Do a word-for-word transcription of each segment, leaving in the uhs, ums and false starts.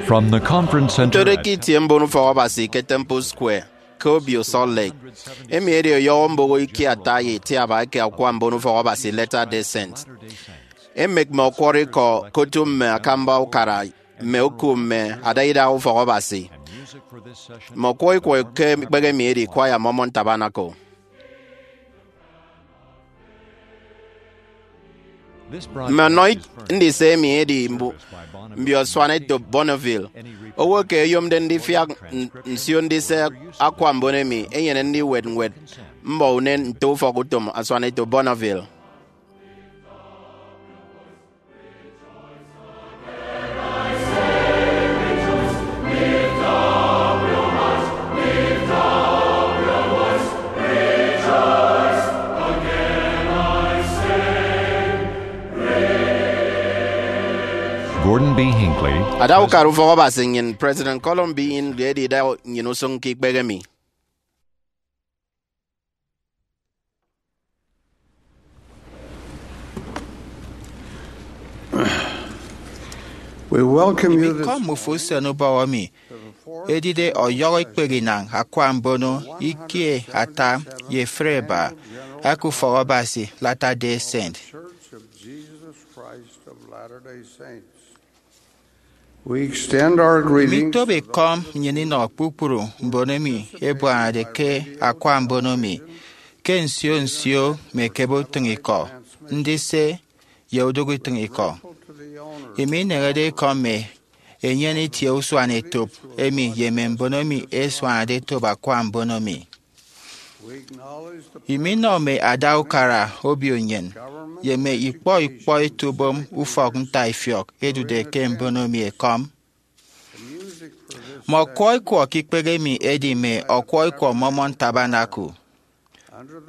From the Conference Center. Ntode ke itie mbon ufọk Abasi ke Temple Square ke obio Salt Lake, emi edi ọyọhọ mboho ikie ata ye itiaba eke akwa mbon ufọk Abasi Latter-day Saint. Emek mme ọkwọrọ ikọ ke otu mme akamba ukara, mme oku, mme adaidaha ufọk Abasi. Mme ọkwọrọ ikọ ke ikpehe emi edi Choir Mormon Tabernacle. Mme ọnọ ndise emi edi mbu-, mbio asuanetop Bonneville. Owo eke eyomde ndifiak n-, nsio ndise akwa mbon emi enyene ndiwet ñwed mbọ unen nte ufọk utom asuanetop Bonneville. Gordon B. Hinckley. Ada ukara ufọk Abasi nnyịn, President Gordon B. Hinckley, edida nnyịn usụñ ke ikpehe emi. We welcome you this Ibikọ mmụfe usen ubọhọ emi edide ọyọhọ ikpehe inañ akwa mbono ikie ata ye efre eba eke ufọk Abasi Latter-day Saint. Church of Jesus Christ of Latter-day Saints. We extend our greetings Imitobo to ikọm nnyịn inọ kpukpru mbon emi ebuanade ke akwa mbono mi ke nsio nsio mme ekebe utịñikọ, ndise, ye udụk utịñikọ. Imi ineñede ikọm mme enyene itie usuanetop emi ye mme mbon emi ẹsuanade etop akwa mbono mi. Imi inọ mme ada ukara obio nnyịn ye mme ikpọ ikpọ etubom ufọk ntaifiọk ẹdude ke mbono mi ekọm. Mme ọkwọrọ ikwọ ke ikpehe emi ẹdi mme ọkwọrọ ikwọ Mormon Tabernacle.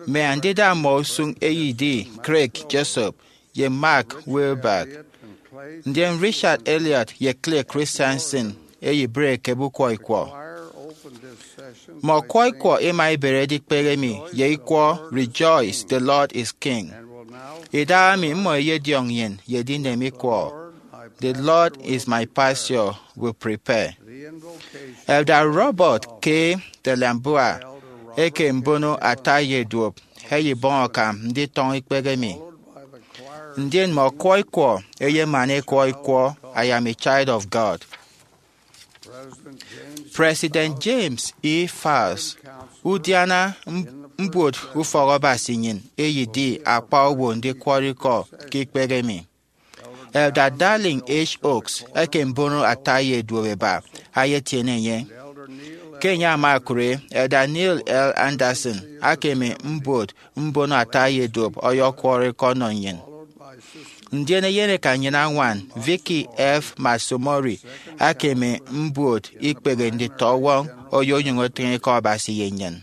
Mme andida mmọ usụñ eyedi Craig Jessop ye Mark Wilberg, ndien Richard Elliot ye Clay Christensen eyebre ekebe ukwọ ikwọ. Mme ọkwọrọ ikwọ ima ibere edikpehe emi ye ikwọ Rejoice, the Lord is King. Idahaemi mmọ ẹyediọñ nnyịn ye edinem ikwọ The Lord is my pasture will prepare. Elder Robert K. de la Mbua eke mbono ata ye duop eyebọñ akam nditọñọ ikpehe emi. Ndien mme ọkwọrọ ikwọ eyemana ikwọ ikwọ I Am a Child of God. President James E. Faust, udiana m-, mbuot ufọk Abasi nnyịn eyedi akpa owo ndikwọrọ ikọ ke ikpehe emi. Elder Dallin H. Oaks eke mbono ata ye duop eba ayetiene enye. Ke enye ama okụre, Elder Neil L. Andersen akeme mbuot mbono ata ye duop ọyọkwọrọ ikọ ọnọ nnyịn. Ndien eyeneka nnyịn añwan, Vicky F. Matsumori, akeme mbuot ikpehe nditọwọñ oyonyụñ otịñ ikọ Abasi ye nnyịn.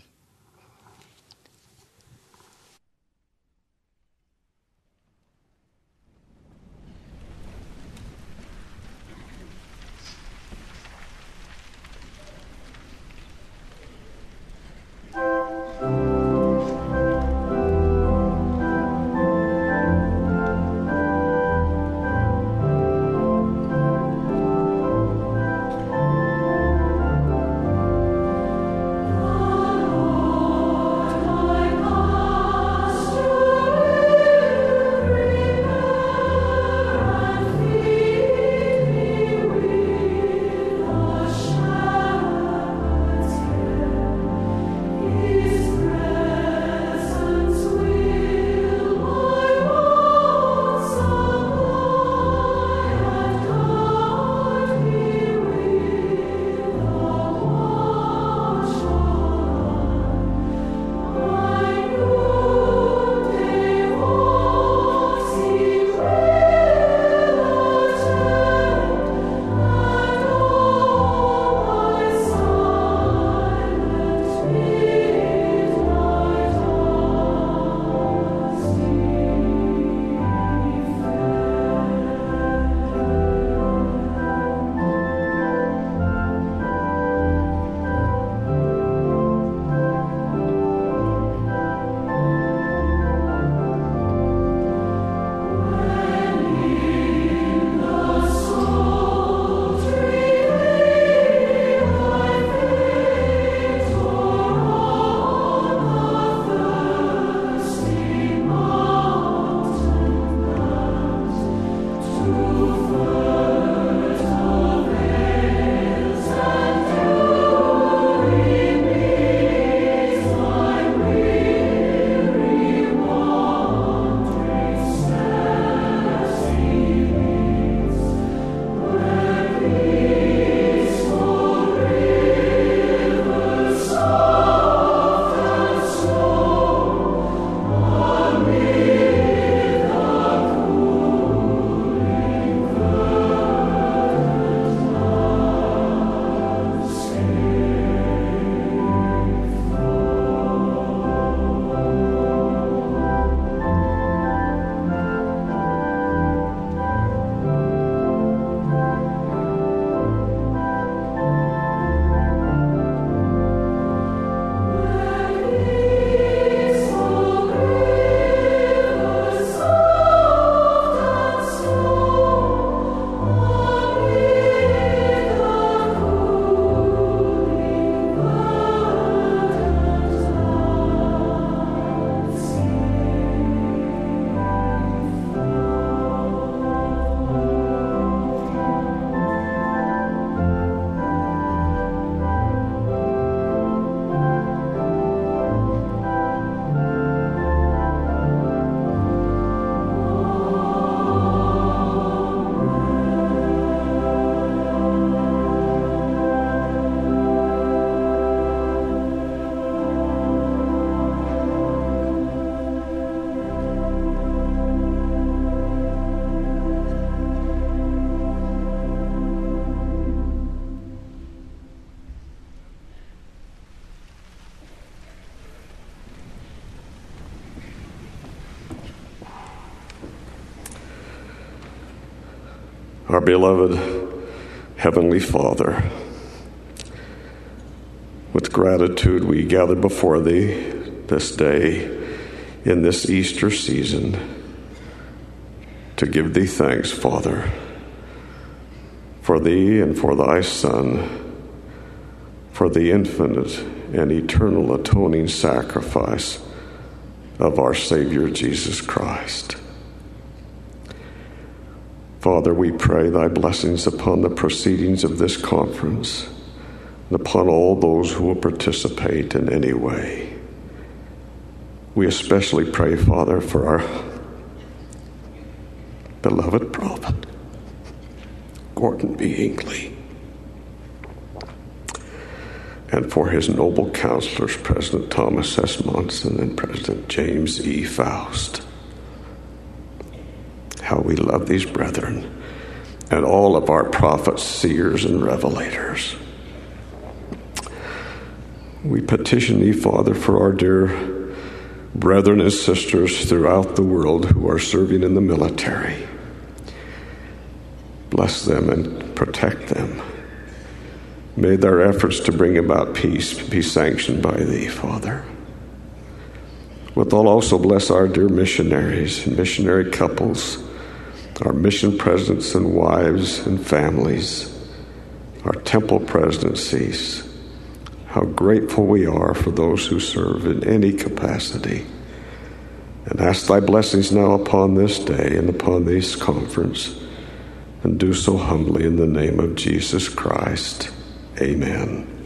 Our beloved Heavenly Father, with gratitude we gather before Thee this day in this Easter season to give Thee thanks, Father, for Thee and for Thy Son, for the infinite and eternal atoning sacrifice of our Savior Jesus Christ. Father, we pray Thy blessings upon the proceedings of this conference and upon all those who will participate in any way. We especially pray, Father, for our beloved prophet, Gordon B. Hinckley, and for his noble counselors, President Thomas S. Monson and President James E. Faust. How we love these brethren and all of our prophets, seers, and revelators. We petition Thee, Father, for our dear brethren and sisters throughout the world who are serving in the military. Bless them and protect them. May their efforts to bring about peace be sanctioned by Thee, Father. Wilt Thou also bless our dear missionaries and missionary couples, our mission presidents and wives and families, our temple presidencies. How grateful we are for those who serve in any capacity. And ask Thy blessings now upon this day and upon this conference, and do so humbly in the name of Jesus Christ. Amen.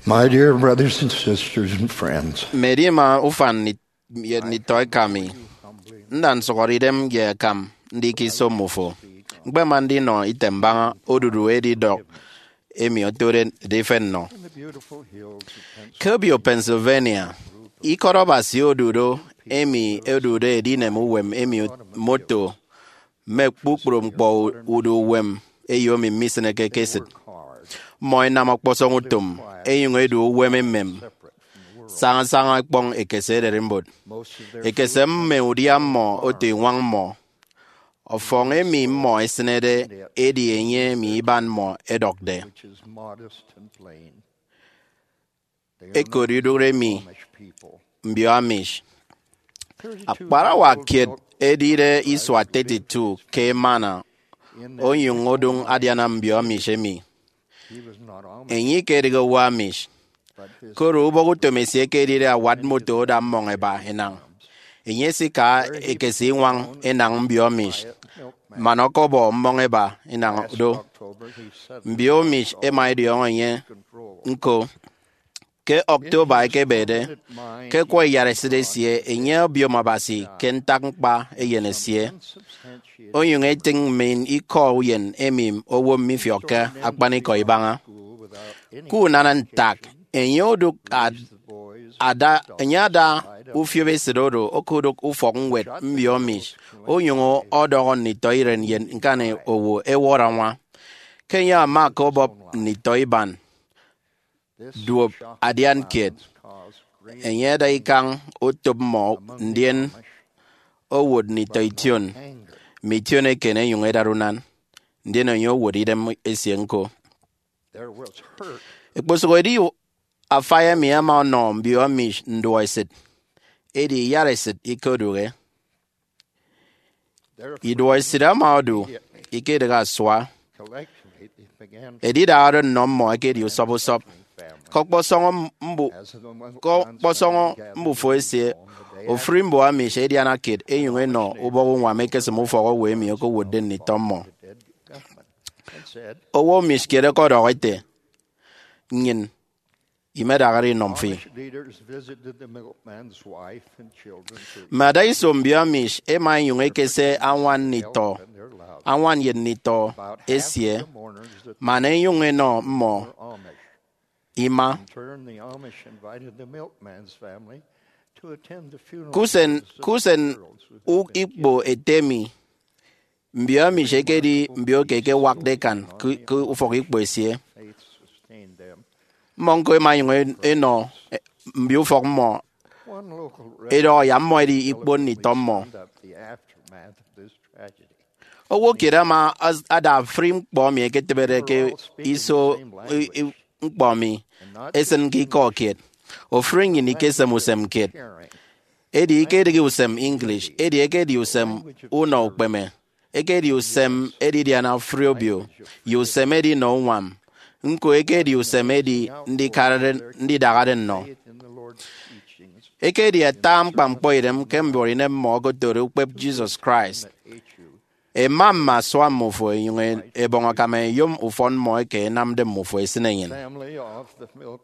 My dear brothers and sisters and friends, Mme edima ufan ye nditọ eka mi, nda nsụhọre idem ye akam ndi ke iso mmufo. Ñkpema ndinọ item mbaña odudu edidọk emi otode edifen nnọ. Ke obio Pennsylvania, ikọt Abasi odu do emi odude edinem uwem emi moto mme kpukpru ñkpọ udu uwem eyo emi misịneke ke esịt. Mmọ ẹnam ọkpọsọñ utom ẹnyụñ ẹdu uwem emem sañasaña ẹkpọñ ekese ererimbot. Ekese mme udia mmọ oto iñwañ mmọ. Ọfọñ emi mmọ ẹsịnede edi enye emi iban mmọ ẹdọkde. Ekot idụt emi mbio Amish. Akparawa kiet edide isua thirty-two ke emana onyụñ odụñ adiana mbio Amish emi. Enye ikedịghe owo Amish, koro ubọk utom esie ke edide awat moto oda mmọñ eba enañ. Enye esika ekese iñwañ enañ mbio Amish man ọkọbọ mmọñ eba enañ do. Mbio Amish ẹma ẹdiọñọ enye ñko. Ke October ekebede, ke ẹkwọ iyaresit esie, enye obiom Abasi ke ntak ñkpa eyen esie, onyụñ etịñ mmịn ikọ uyen emi owo mifiọkke akpanikọ ibaña. Ke unana ntak, enye odụk ad- ada enye ada ufiop esịt oro okodụk ufọk ñwed mbio Amish, onyụñ ọdọhọ nditọiren ye ñkan owo ẹwọrọ añwa. Ke enye ama ke obop nditọ iban duop adian kiet, enye ada ikañ otop mmọ, ndien owot nditọ ition mme ition eken ẹnyụñ ẹdara unan, ndien enye owot idem esie ñko. Ekposụk edi afai emi ama ọnọ mbio Amish nduọesịt, edi iyaresit ikodụhe. Iduọesịt ama odu, ikedịghe asua. Edidahade nnọ mmọ ekedi usọp usọp. Ke ọkpọsọñọ mbu- ke ọkpọsọñọ mbufo esie, ofụri mbio Amish ẹdiana kiet ẹnyụñ ẹnọ ubọk uñwam ẹkesịm ufọk owo emi okowotde nditọ mmọ. Owo Amish kiet ọkọdọhọ ete, Nnyịn imedahare inọñ fi. Mme adaiso mbio Amish ẹma ẹnyụñ ẹkese añwan nditọ, añwan ye nditọ esie, man ẹnyụñ ẹnọ mmọ ima. Ke usen, ke usen u- ikpo ete mi, mbio Amish ẹkedi mbio ke ẹkewakde ẹkan ke, ke ufọk ikpo esie. Mmọ ñko ẹma ẹnyụñ ẹnọ mbio ufọk mmọ, ẹdọhọ yak mmọ ẹdi ikpon nditọ mmọ. Owo kiet ama ada ofụri ñkpọ emi ẹketịbede ke iso ñkpọ mi esịn ke ikọ kiet. Ofụri nnyịn ikesem usem kiet, edi ikedịghe usem English, edi ekedi usem unọ ukpeme, ekedi usem edidiana ofụri obio, ye usem edinọ uñwam. Ñko ekedi usem edi ndidahade nnọ. Ekedi ata ñkpa ñkpọ idem ke mbuọtidem mmọ okotode ukpep Jesus Christ. Ẹma mme asua mmufo ẹnyụñ ẹbọñ akam ẹyom ufọn mmọ eke ẹnamde mmufo ẹsịn enyịn.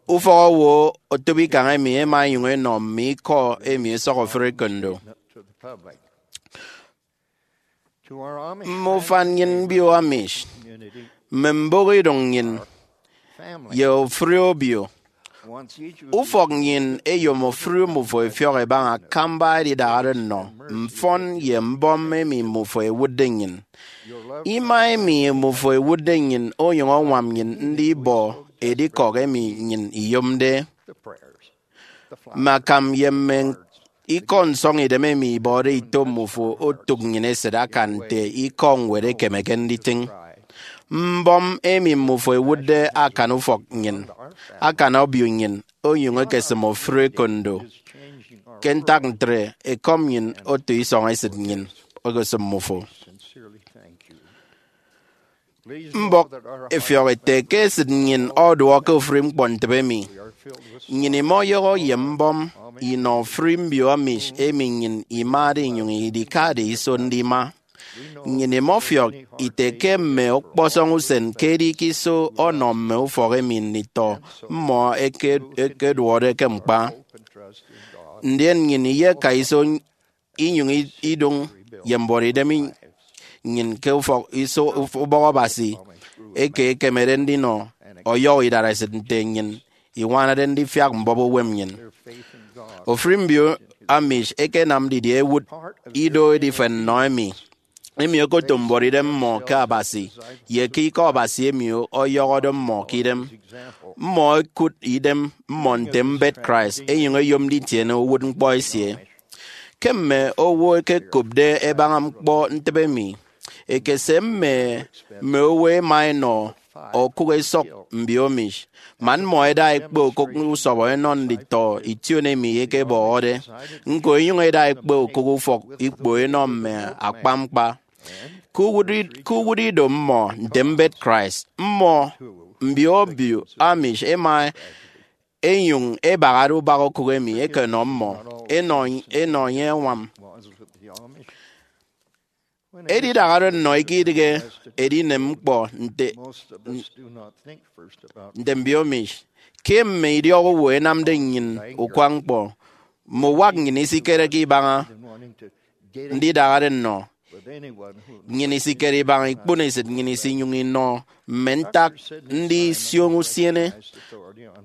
Ufọk owo otop ikañ emi ẹma ẹnyụñ ẹnọ mme ikọ emi ẹsọk ofụri ekondo. Mme ufan nnyịn mbio Amish, mme mbụk idụñ nnyịn, ye ofụri obio, ufọk nnyịn eyom ofụri mmufo ẹfiọk ẹbaña akamba edidahade nnọ, mfọn, ye mbọm emi mmufo ẹwụtde nnyịn. Ima emi mmufo ẹwụtde nnyịn onyụñ añwam nnyịn ndi ibọ edikọk emi nnyịn iyomde. Mme akam ye mme ikọ nsọñidem emi ibọde ito mmufo otụk nnyịn esịt akan nte ikọ ñwed ekemeke nditịñ. Mbọm emi mmufo ẹwụtde akan ufọk nnyịn, akan obio nnyịn, onyụñ ekesịm ofụri ekondo. Ke ntak ntre, ekọm nnyịn oto isọñ esịt nnyịn okosịm mmufo. Mbọk ẹfiọk ẹte ke esịt nnyịn ọduọk ke ofụri ñkpọntịbe emi. Nnyịn imọyọhọ ye mbọm inọ ofụri mbio Amish emi nnyịn imade inyụñ idikade iso ndima. Nnyịn imọfiọk ite ke mme ọkpọsọñ usen ke edi ke iso ọnọ mme ufọk emi nditọ mmọ eke- ekeduọde ke ñkpa. Ndien nnyịn iyeka iso inyụñ i- idụñ ye mbuọtidem i- nnyịn ke ufọk iso uf- ubọk Abasi eke ekemede ndinọ ọyọhọ idaresit nte nnyịn iñwanade ndifiak mbọp uwem nnyịn. Ofụri mbio Amish ẹkenam didie ẹwụt ido edifen nnọ emi? Emi okotom mbuọtidem mmọ ke Abasi ye ke Ikọ Abasi emi ọyọhọde mmọ ke idem. Mmọ ẹkụt idem mmọ nte mbet Christ, ẹnyụñ ẹyom nditiene uwụtñkpọ esie. Ke mme owo ẹkekopde ẹbaña ñkpọ ntịbe emi, ekese mme mme owo ẹma ẹnọ okụk esọk mbio Amish, man mmọ ẹda ẹkpe okụk usọbọ ẹnọ nditọ ition emi ẹkebọhọde, ñko ẹnyụñ ẹda ẹkpe okụk ufọk ikpo ẹnọ mme akpañkpa. Ke uwụt i- ke uwụt ido mmọ nte mbet Christ, mmọ mbio obio Amish ẹma ẹnyụñ ẹbahade ubak okụk emi ẹkenọ mmọ ẹnọ ẹnọ enye añwam. Edidahade nnọ eke idịghe edinem ñkpọ nte nte mbio Amish. Ke mme idiọk owo ẹnamde nnyịn ukwañ ñkpọ, mme uwak nnyịn isikereke ibaña ndidahade nnọ. Nnyịn isikere ibaña ikpono esịt nnyịn isinyụñ inọ mme ntak ndisioño usiene.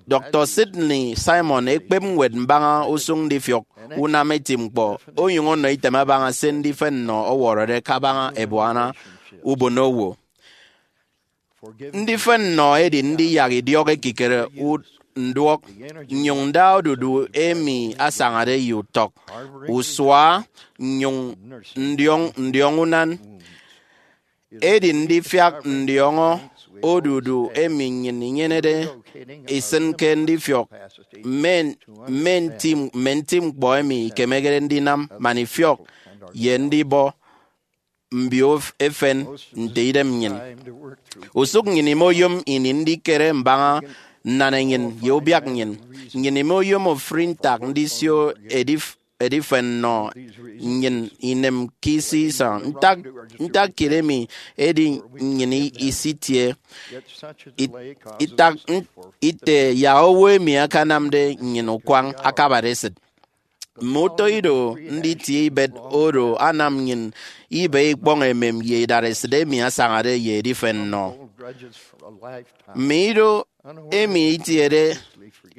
Doctor Sidney Simon ekpep ñwed mbaña usụñ ndifiọk unam eti ñkpọ, onyụñ ọnọ item abaña se ndifen nnọ ọwọrọde kabaña ebuana ubonowo. Ndifen nnọ edi ndiyak idiọk ekikere u- nduọk, nnyụñ nda odudu emi asañade ye utọk, usua, nnyụñ ndiọñ ndiọñ unan. Edi ndifiak ndiọñọ odudu emi nnyịn inyenede isịn ke ndifiọk mme mme nti mme nti ñkpọ emi ikemekde ndinam man ifiọk ye ndibọ mbio efen nte idem nnyịn. Usụk nnyịn imoyom ini ndikere mbaña nnanenyịn ye ubiak nnyịn. Nnyịn imoyom ofụri ntak ndisio edif- edifen nnọ nnyịn inem ke isi isañ. Ntak ntak kiet emi edi nnyịn i- isitie it- itak n- ite yak owo emi akanamde nnyịn ukwañ akabade esịt. Mme utọ ido nditie ibet oro anam nnyịn ibe ikpọñ emem ye idaresit emi asañade ye edifen nnọ. Mme ido emi itiede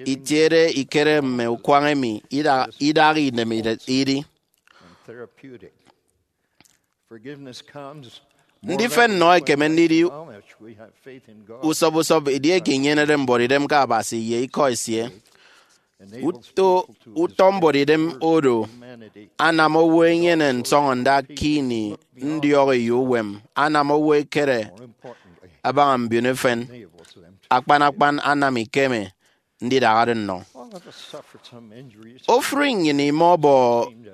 itiede ikere mme ukwañ emi ida- idaha inem ide- idi. Ndifen nnọ ekeme ndidi usọp usọp edieke inyenede mbuọtidem ke Abasi ye Ikọ esie. Uto utọ mbuọtidem oro anam owo enyene nsọñọnda ke ini ndiọk eyo uwem, anam owo ekere abaña mbiono efen. Akpan akpan anam ikeme ndidahade nnọ. Ofụri nnyịn imọbọ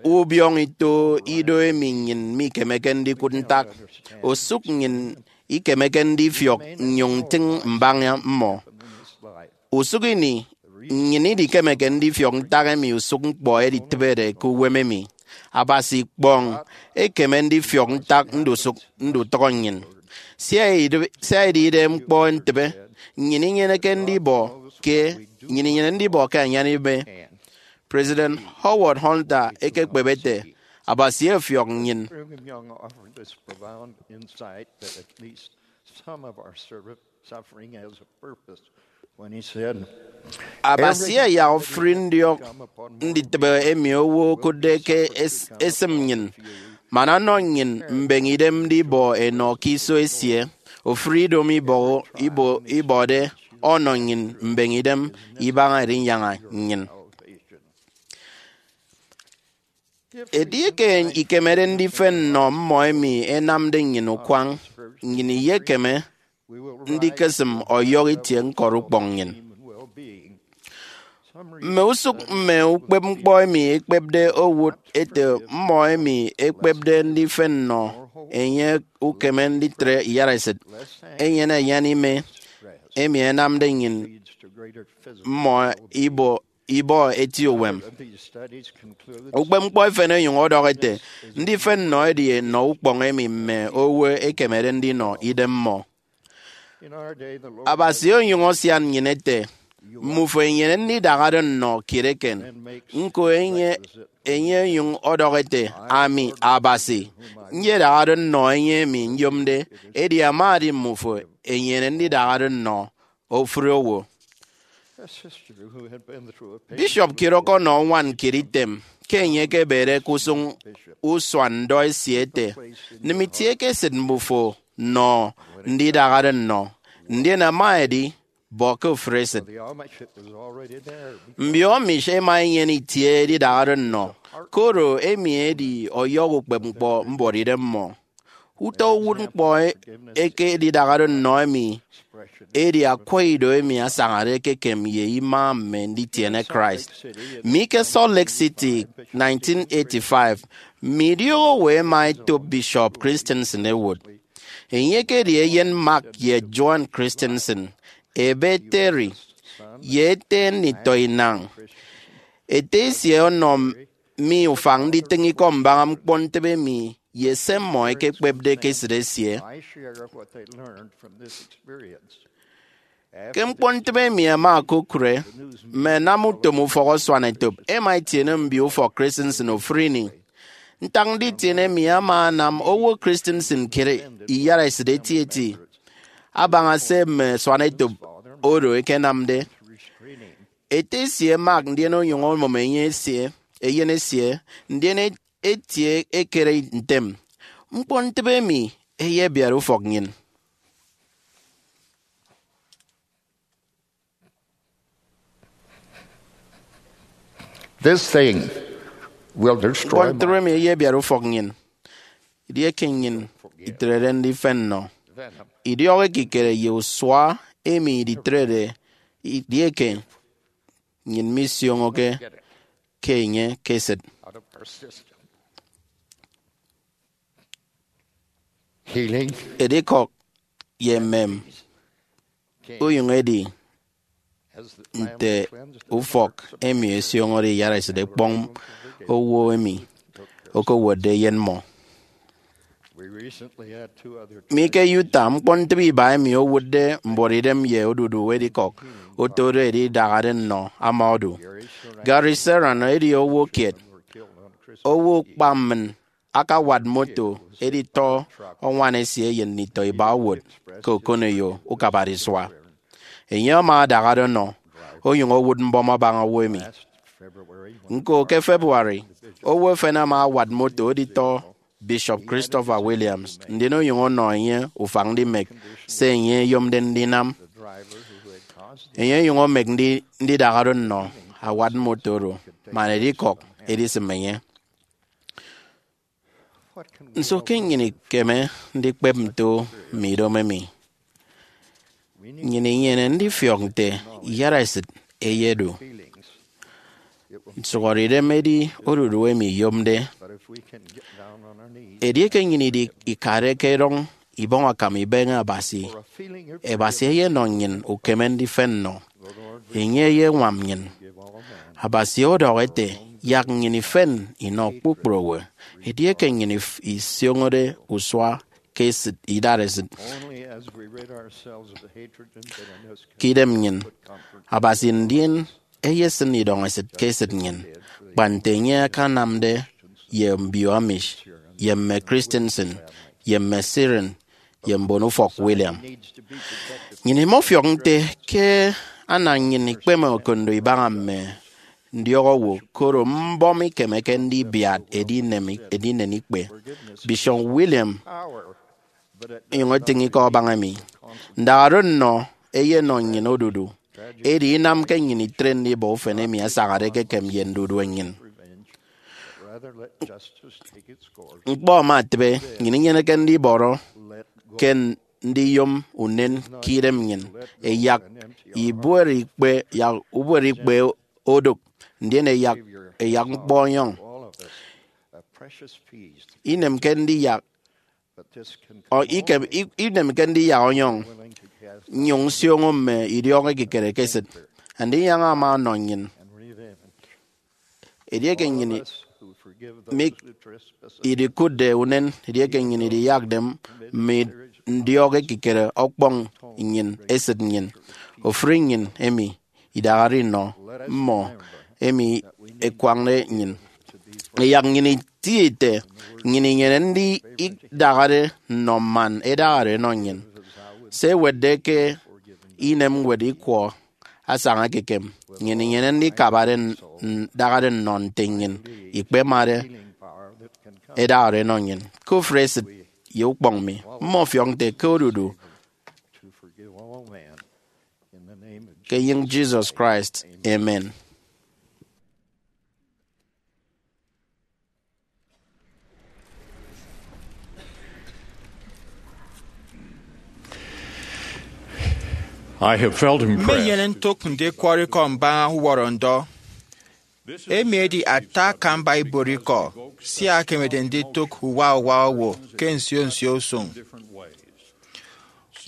ubiọñ ito ido emi nnyịn mikemeke ndikụt ntak, osụk nnyịn ikemeke ndifiọk nnyụñ ntịñ mbaña mmọ. Usụk ini, nnyịn idikemeke ndifiọk ntak emi usụk ñkpọ editịbede ke uwem emi. Abasi ikpọñ ekeme ndifiọk ntak ndusụk ndutọñọ nnyịn. Sia edi- sia edide ñkpọ ntịbe, nnyịn inyeneke ndibọ ke nnyịn inyene ndibọ ke anyan ime. President Howard Hunter ekekpep ete, Abasi efiọk nnyịn. Brigham Young offered this profound insight that at least some of our serv- suffering has a purpose when he said, Abasi eyak ofụri ndiọk nditịbe emi owo okụtde ke es- esịm nnyịn, man ọnọ nnyịn mbeñe idem ndibọ enọ ke iso esie. Ofụri ido mi ibọ- ibo- ibọde ọnọ nnyịn mbeñe idem ibaña Edinyaña nnyịn. Edieke ikemede ndifen nnọ mmọ emi ẹnamde nnyịn ukwañ, nnyịn iyekeme ndikesịm ọyọhọ itie ñkọt ukpọñ nnyịn. Mme usụk mme ukpepñkpọ emi ekpepde owụt ete mmọ emi ẹkpepde ndifen nnọ enye ukeme nditre iyaresịt, enyene anyan ime emi ẹnamde nnyịn mmọ ibo- ibọ eti uwem. Ukpepñkpọ efen onyụñ ọdọhọ ete, ndifen nnọ edi nnọ ukpọñ emi mme owo ẹkemede ndinọ idem mmọ. Abasi onyụñ asian nnyịn ete, mmufo ẹnyene ndidahado nnọ kiet eken. Ñko enye enye onyụñ ọdọhọ ete, ami, Abasi, nyedahado nnọ enye emi nyomde, edi ama edi mmufo ẹnyene ndidahado nnọ ofụri owo. Bishop kiet ọkọnọ ñwan kiet item ke enye ekebede ke usụñ usua ndọ esie ete, nịm itie ke esịt mmufo nnọ ndidahado nnọ, ndien ama edi bọ ke ofụri esịt. Mbio Amish ẹma ẹnyene itie edidahado nnọ, koro emi edi ọyọhọ ukpepñkpọ mbuọtidem mmọ. Utọ uwụtñkpọ eke edidahado nnọ emi edi akwa ido emi asañade ekekem ye ima mme nditiene Christ. Mi ke Salt Lake City, nineteen eighty-five, mme idiọk owo ẹma ẹtop Bishop Christensen ẹwụt. Enye ekedi eyen Mark ye Joan Christensen, ebe Terry, ye ete nditọ inañ. Ete esie ọnọ mi ufak nditịñ ikọ mbaña ñkpọntịbe emi ye se mmọ ẹkekpepde ke esịt esie. Ke ñkpọntịbe emi ẹma ẹkokụre, mme ẹnam utom ufọk asuanetop ẹma ẹtiene mbio ufọk Christensen ofụri ini. Ntak nditiene emi ama anam owo Christensen kiet iyaraesịt etieti abaña se mme asuanetop oro ẹkenamde. Ete esie Mark ndien onyụñ omụm enye esie, eyen esie, ndien etie ekere ntem, ñkpọntịbe emi eyebiat ufọk nnyịn. This thing will destroy. Ñkpọntịbe emi eyebiat ufọk nnyịn. Edieke nnyịn itrede ndifen nnọ idiọk ekikere ye usua emi iditrede edieke nnyịn misioñoke ke enye ke esịt. Healing. Edikọk ye emem onyụñ edi nte ufọk emi esioñode iyaraesịt ekpọñ owo emi okowotde eyen mmọ. Mi ke Utah, ñkpọntịbe iba emi owụtde mbuọtidem ye odudu edikọk otode edidahade nnọ ama odu. Gary Serrano edi owo kiet, owo ukpammịn, akawat moto editọ añwan esie ye nditọ iba owụt ke okoneyo ukabade isua. Enye ama adahade ọnọ, onyụñ owụt mbọm abaña owo emi. Ñko ke February, owo efen ama awat moto editọ Bishop Christopher Williams, ndien onyụñ ọnọ enye ufak ndimek se enye eyomde ndinam. Enye onyụñ omek ndi- ndidahado nnọ awat moto oro man edikọk edisịm enye. Nso ke nnyịn ikeme ndikpep nto mme idomo emi? Nnyịn inyene ndifiọk nte iyaraesịt eyedu. Nsụhọdeidem edi odudu emi iyomde. Edieke nnyịn idi- ikade ke erọñ ibọñ akam ibeñe Abasi, Abasi eyenọ nnyịn ukeme ndifen nnọ. Enye eyeñwam nnyịn. Abasi ọdọhọ ete, yak nnyịn ifen inọ kpukpru owo. Edieke nnyịn if- isioñode usua ke esịt idaresịt ke idem nnyịn, Abasi ndien eyesịn idọñesịt ke esịt nnyịn, kpa nte enye akanamde ye mbio Amish, ye mme Christensen, ye mme Syrian, ye mbonufọk William. Nnyịn imọfiọk nte ke ana nnyịn ikpeme okondo ibaña mme ndiọk owo, koro mbọm ikemeke ndibiat edinem, edinen ikpe. Bishop William onyụñ etịñ ikọ abaña emi. Ndahado nnọ eyenọ nnyịn odudu, edi inamke nnyịn itre ndibọ ufen emi asañade ekekem ye ndudue nnyịn. Ñkpọ ama etịbe, nnyịn inyeneke ndibọrọ ke ndiyom unen ke idem nnyịn, ẹyak ibuot ikpe, yak ubuot ikpe odụk, ndien ẹyak, ẹyak ñkpọ ọnyọñ. Inemke ndiyak, ọ, ikem, i- inemke ndiyak ọnyọñ nnyụñ nsioño mme idiọk ekikere ke esịt. Andinyaña ama ọnọ nnyịn Edieke nnyịn mi idikụtde unen, edieke nnyịn idiyakde mme ndiọk ekikere ọkpọñ nnyịn, esịt nnyịn, ofụri nnyịn emi idahade inọ mmọ emi ẹkwañde nnyịn. Ẹyak nnyịn itie ete nnyịn inyene ndidahade nnọ man ẹdahade ẹnọ nnyịn. Se ẹwetde ke inem ñwed Ikwọ asaña ekekem, nnyịn inyene ndikabade n-, ndahade nnọ nte nnyịn ikpemade ẹdahade ẹnọ nnyịn. Ke ofụri esịt ye ukpọñ mi, mmọfiọk nte ke odudu ke enyịñ Jesus Christ. Amen. I have felt impressed. Mmenyene ntụk ndikwọrọ ikọ mbaña uwọrọ ndọ. Emi edi ata akamba ibuot ikọ, sia ẹkemede nditụk uwa uwa owo ke nsio nsio usụñ.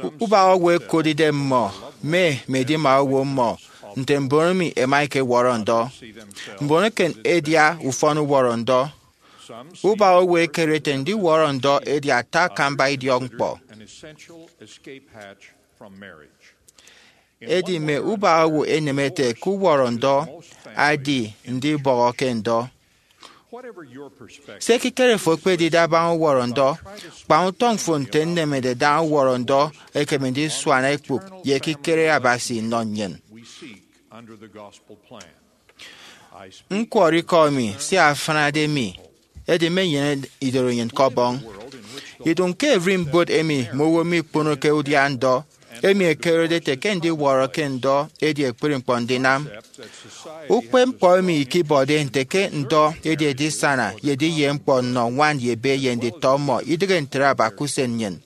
U-, ubak owo ẹkot idem mmọ, mme, mme edima owo mmọ, nte mbon emi ẹma ẹkewọrọ ndọ. Mbon eken ẹdia ufọn uwọrọ ndọ. Ubak owo ẹkere ete ndiwọrọ ndọ edi ata akamba idiọkñkpọ. Edi mme ubak owo ẹneme ete ke uwọrọ ndọ adi ndibọhọ ke ndọ. Se ekikere fo ekpedide abaña uwọrọ ndọ, kpañ utọñ fo nte nnemede daña uwọrọ ndọ ekeme ndisuana ikpụk ye ekikere Abasi nnọ nnyịn. Ñkwọrọ ikọ mi sia afịnade mi, edi mmenyene idoro nnyịn ke Ọbọñ. Idụñ ke ererimbot emi mme owo mikponoke udia ndọ, emi ẹkerede ete ke ndiwọrọ ke ndọ edi ekpri ñkpọ ndinam. Ukpepñkpọ emi ikibọde nte ke ndọ edi edisana ye ediye ñkpọ nnọ ñwan ye ebe ye nditọ mmọ, idịghe ntre aba ke usen nnyịn.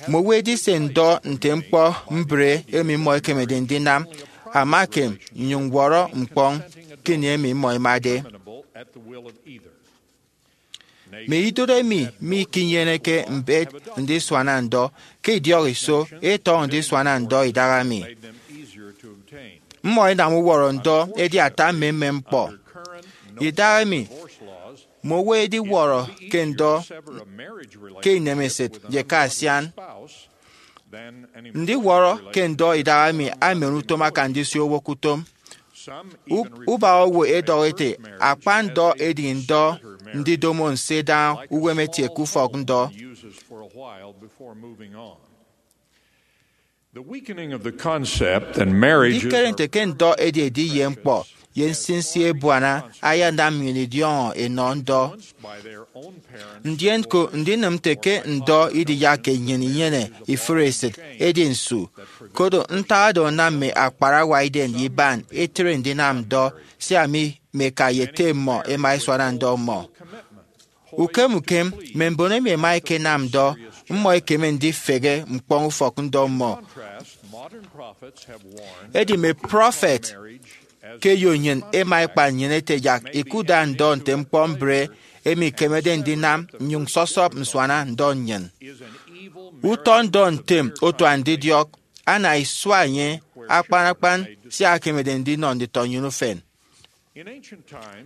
Mme owo ẹdise ndọ nte ñkpọ mbre emi mmọ ẹkemede ndinam, ama ekem nnyụñ ñwọrọ ñkpọñ ke ini emi mmọ ẹmade. Mme idụt emi mikinyeneke mbet ndisuana ndọ ke idiọk iso etọñọ ndisuana ndọ idaha mi. Mmọ ẹnam uwọrọ ndọ edi ata mmemmem ñkpọ. Idaha emi, mme owo ẹdiwọrọ ke ndọ ke inemesịt ye ke asian. Ndiwọrọ ke ndọ idaha mi amen utom akan ndisio owo ke utom. U-, ubak owo ẹdọhọ ete, akpa ndọ edi ndọ ndidomo nse daña uwem etie ke ufọk ndọ. The weakening of the concept that marriage is Ndikere nte ke ndọ edi ediye ñkpọ ye nsinsi ebuana ayanam nnyịn idiọñọ enọ ndọ. Ndien ko ndinịm nte ke ndọ idiyakke nnyịn inyene ifụre esịt edi nsu, koro ntak oro anam mme akparawa Eden ye iban ẹtre ndinam ndọ, sia mme eka ye ete mmọ ẹma ẹsuana ndọ mmọ. Ukem ukem, mme mbon emi ẹma ẹkenam ndọ, mmọ ẹkeme ndifehe ñkpọñ ufọk ndọ mmọ. Edi mme prọfet ke eyo nnyịn ẹma ẹkpa nnyịn ẹte yak ikuda ndọ nte ñkpọ mbre emi ikemede ndinam nnyụñ sọsọp nsuana ndọ nnyịn. Utọ ndọ ntem otu andidiọk, ana isua enye akpan akpan sia ekemede ndinọ nditọ nnyịn ufen.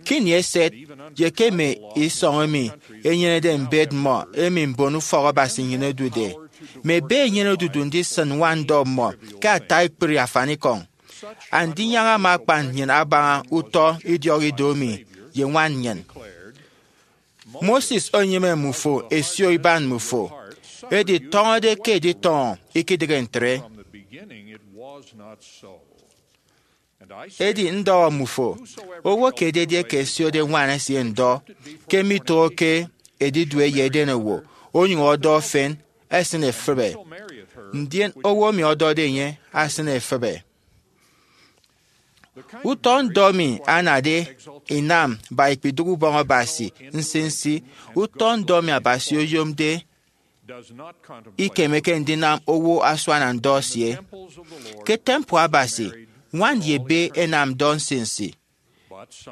Ke ini eset, ye ke mme isọñ emi enyenede mbet mmọ emi mbon ufọk Abasi nnyịn ẹdude, mme ebe ẹnyene odudu ndisịn ñwan ndọ mmọ ke ata ekpri afanikọñ. Andinyaña ama akpan nnyịn abaña utọ idiọk ido mi ye ñwan nnyịn. Moses onyịme mmufo ẹsio iban mmufo, edi tọñọde ke editọñọ ikidịghe ntre. Edi ndọhọ mmufo, owo kiet edieke ẹsiode ñwan esie ndọ, ke mitohoke edidue ye edenowo, onyụñ ọdọ efen, esịn efịbe. Ndien owo emi ọdọde enye asịn efịbe. Utọ ndọ mi anade inam ba ikpidụk ubọñ Abasi nsinsi, utọ ndọ mi Abasi oyomde ikemeke ndinam owo asuana ndọ esie. Ke temple Abasi, ñwan ye ebe ẹnam ndọ nsinsi.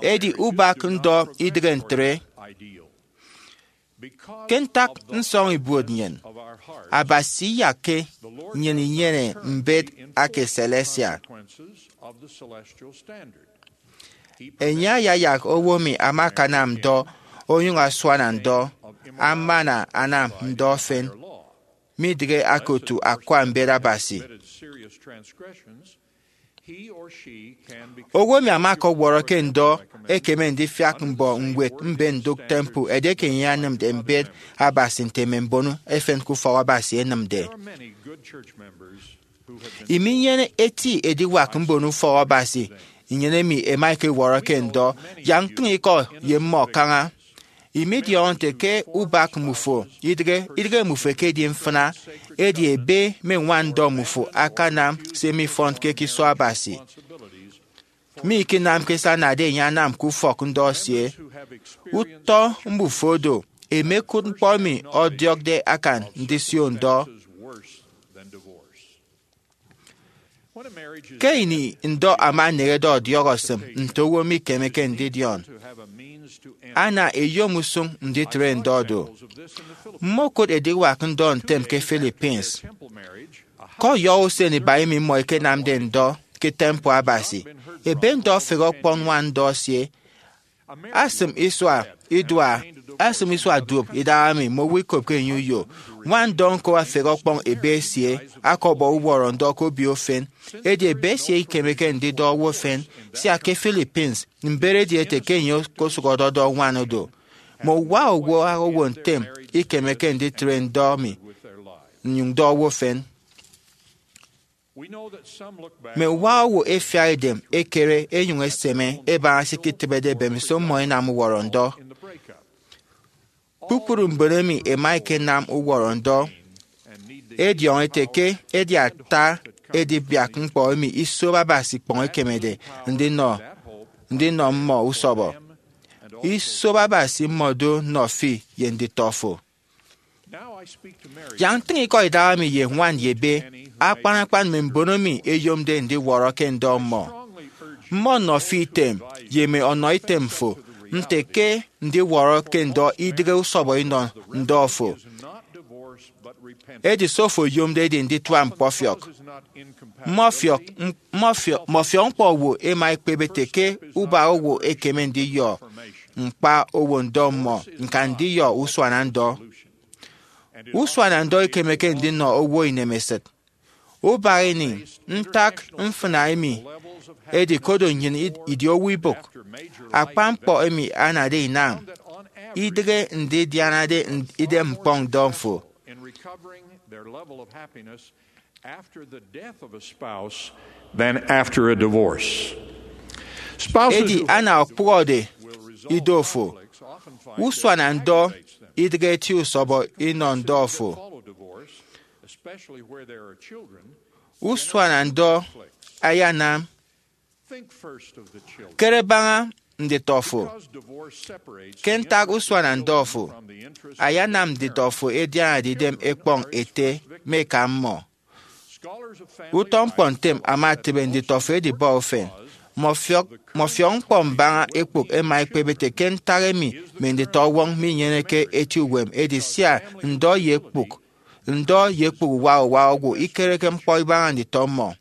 Edi ubak ndọ idịghe ntre. Ke ntak nsọñ ibuot nnyịn, Abasi iyakke nnyịn inyene mbet aka celestial. Enye ayayak owo emi ama akanam ndọ onyụñ asuana ndọ, amana anam ndọ efen, midịghe akotu akwa mbet Abasi. Owo emi ama ọkọwọrọ ke ndọ ekeme ndifiak mbọ ñwed mbe ndụk temple edieke enye anamde mbet Abasi nte mme mbon efen ke ufọk Abasi ẹnamde. Iminyene eti ediwak mbon ufọk Abasi, nnyịn emi ẹma ẹkewọrọ ke ndọ, yak ntịñ ikọ ye mmọ kaña. Imidiọñọ nte ke ubak mmufo idịghe idịghe mmufo ekedi mfịna, edi ebe mme ñwan ndọ mmufo akanam se mifọnke ke iso Abasi, mi ikinamke se anade enye anam ke ufọk ndọ esie. Utọ mbufo do ẹmekụt ñkpọ emi ọdiọkde akan ndisio ndọ. Ke ini ndọ ama eneñede ọdiọk esịm nte owo mikemeke ndidiọn, ana eyom usụñ nditre ndọ do. Mmokụt ediwak ndọ ntem ke Philippines. Ke ọyọhọ usen iba emi mmọ ẹkenamde ndọ ke temple Abasi, ebe ndọ ọfehe ọkpọñ ñwan ndọ esie. Asịm isua idua, asịm isua duop idahaemi mme owo ikopke enye uyo. Ñwan ndọ ñko afehe ọkpọñ ebe esie, akọbọ uwọrọ ndọ ke obio efen. Edi ebe esie ikemeke ndidọ owo efen, sia ke Philippines, mbet edi ete ke enye okosụk ọdọdọ ñwan do. Mme uwa owo owo ntem ikemeke nditre ndọ mi nnyụñ dọ owo efen. Mme uwa owo ẹfiak edem ẹkere ẹnyụñ ẹseme ẹbaña se iketịbede mbemiso mmọ ẹnam uwọrọ ndọ. Kpukpru mbon emi ẹma ẹkenam uwọrọ ndọ ẹdiọñọ ẹte ke edi ata edibiak ñkpọ emi iso Abasi ikpọñ ekemede ndinọ ndinọ mmọ usọbọ. Iso Abasi mmọ do nnọ fi ye nditọ fo. Yak ntịñ ikọ idahaemi ye ñwan ye ebe, akpan akpan mme mbon emi ẹyomde ndiwọrọ ke ndọ mmọ. Mmọ nnọ fi item ye mme ọnọ item fo nte ke ndiwọrọ ke ndọ idịghe usọbọ inọ ndọ fo. Edi se ofo oyomde edi nditua ñkpọfiọk. Mme ọfiọk, mme ọfiọk, mme ọfiọk ñkpọ owo ẹma ẹkpep ẹte ke ubak owo ekeme ndiyọ ñkpa owo ndọ mmọ ñka ndiyọ usuana ndọ. Usuana ndọ ikemeke ndinọ owo inemesịt. Ubak ini, ntak mfịna emi edi kodo nnyịn id- idi owo ibụk. Akpa ñkpọ emi anade inam idịghe ndidianade n- idem ñkpọñ ndọ fo. In recovering their level of happiness after the death of a spouse than after a divorce. Spouses Edi who ana ọkpụhọde will resolve ido fo, conflicts often find usuana it ndọ aggravates them. idịghe eti usọbọ inọ ndọ fo. Follow divorce, especially where there are children, Usuana ndọ ayanam. Think first of the children. Kere baña nditọ fo. Because divorce separates Ke the ntak interest usuana of ndọ children fo from the interest of the ayanam parents, nditọ fo ẹdianade idem children ẹkpọñ are ete equipped with mme eka parents. mmọ. Scholars of family Utọ life ñkpọ ntem tell us ama that etịbe most nditọ fo important edibọ work ufen. laws Mme ọfiọk of the mme ọfiọk ñkpọ mbaña ekpụk ẹma ẹkpep ete ke ntak emi mme nditọ ọwọñ minyeneke eti uwem edi sia ndọ ye ekpụk ndọ ye ekpụk uwa uwa owo ikereke ñkpọ ibaña nditọ mmọ.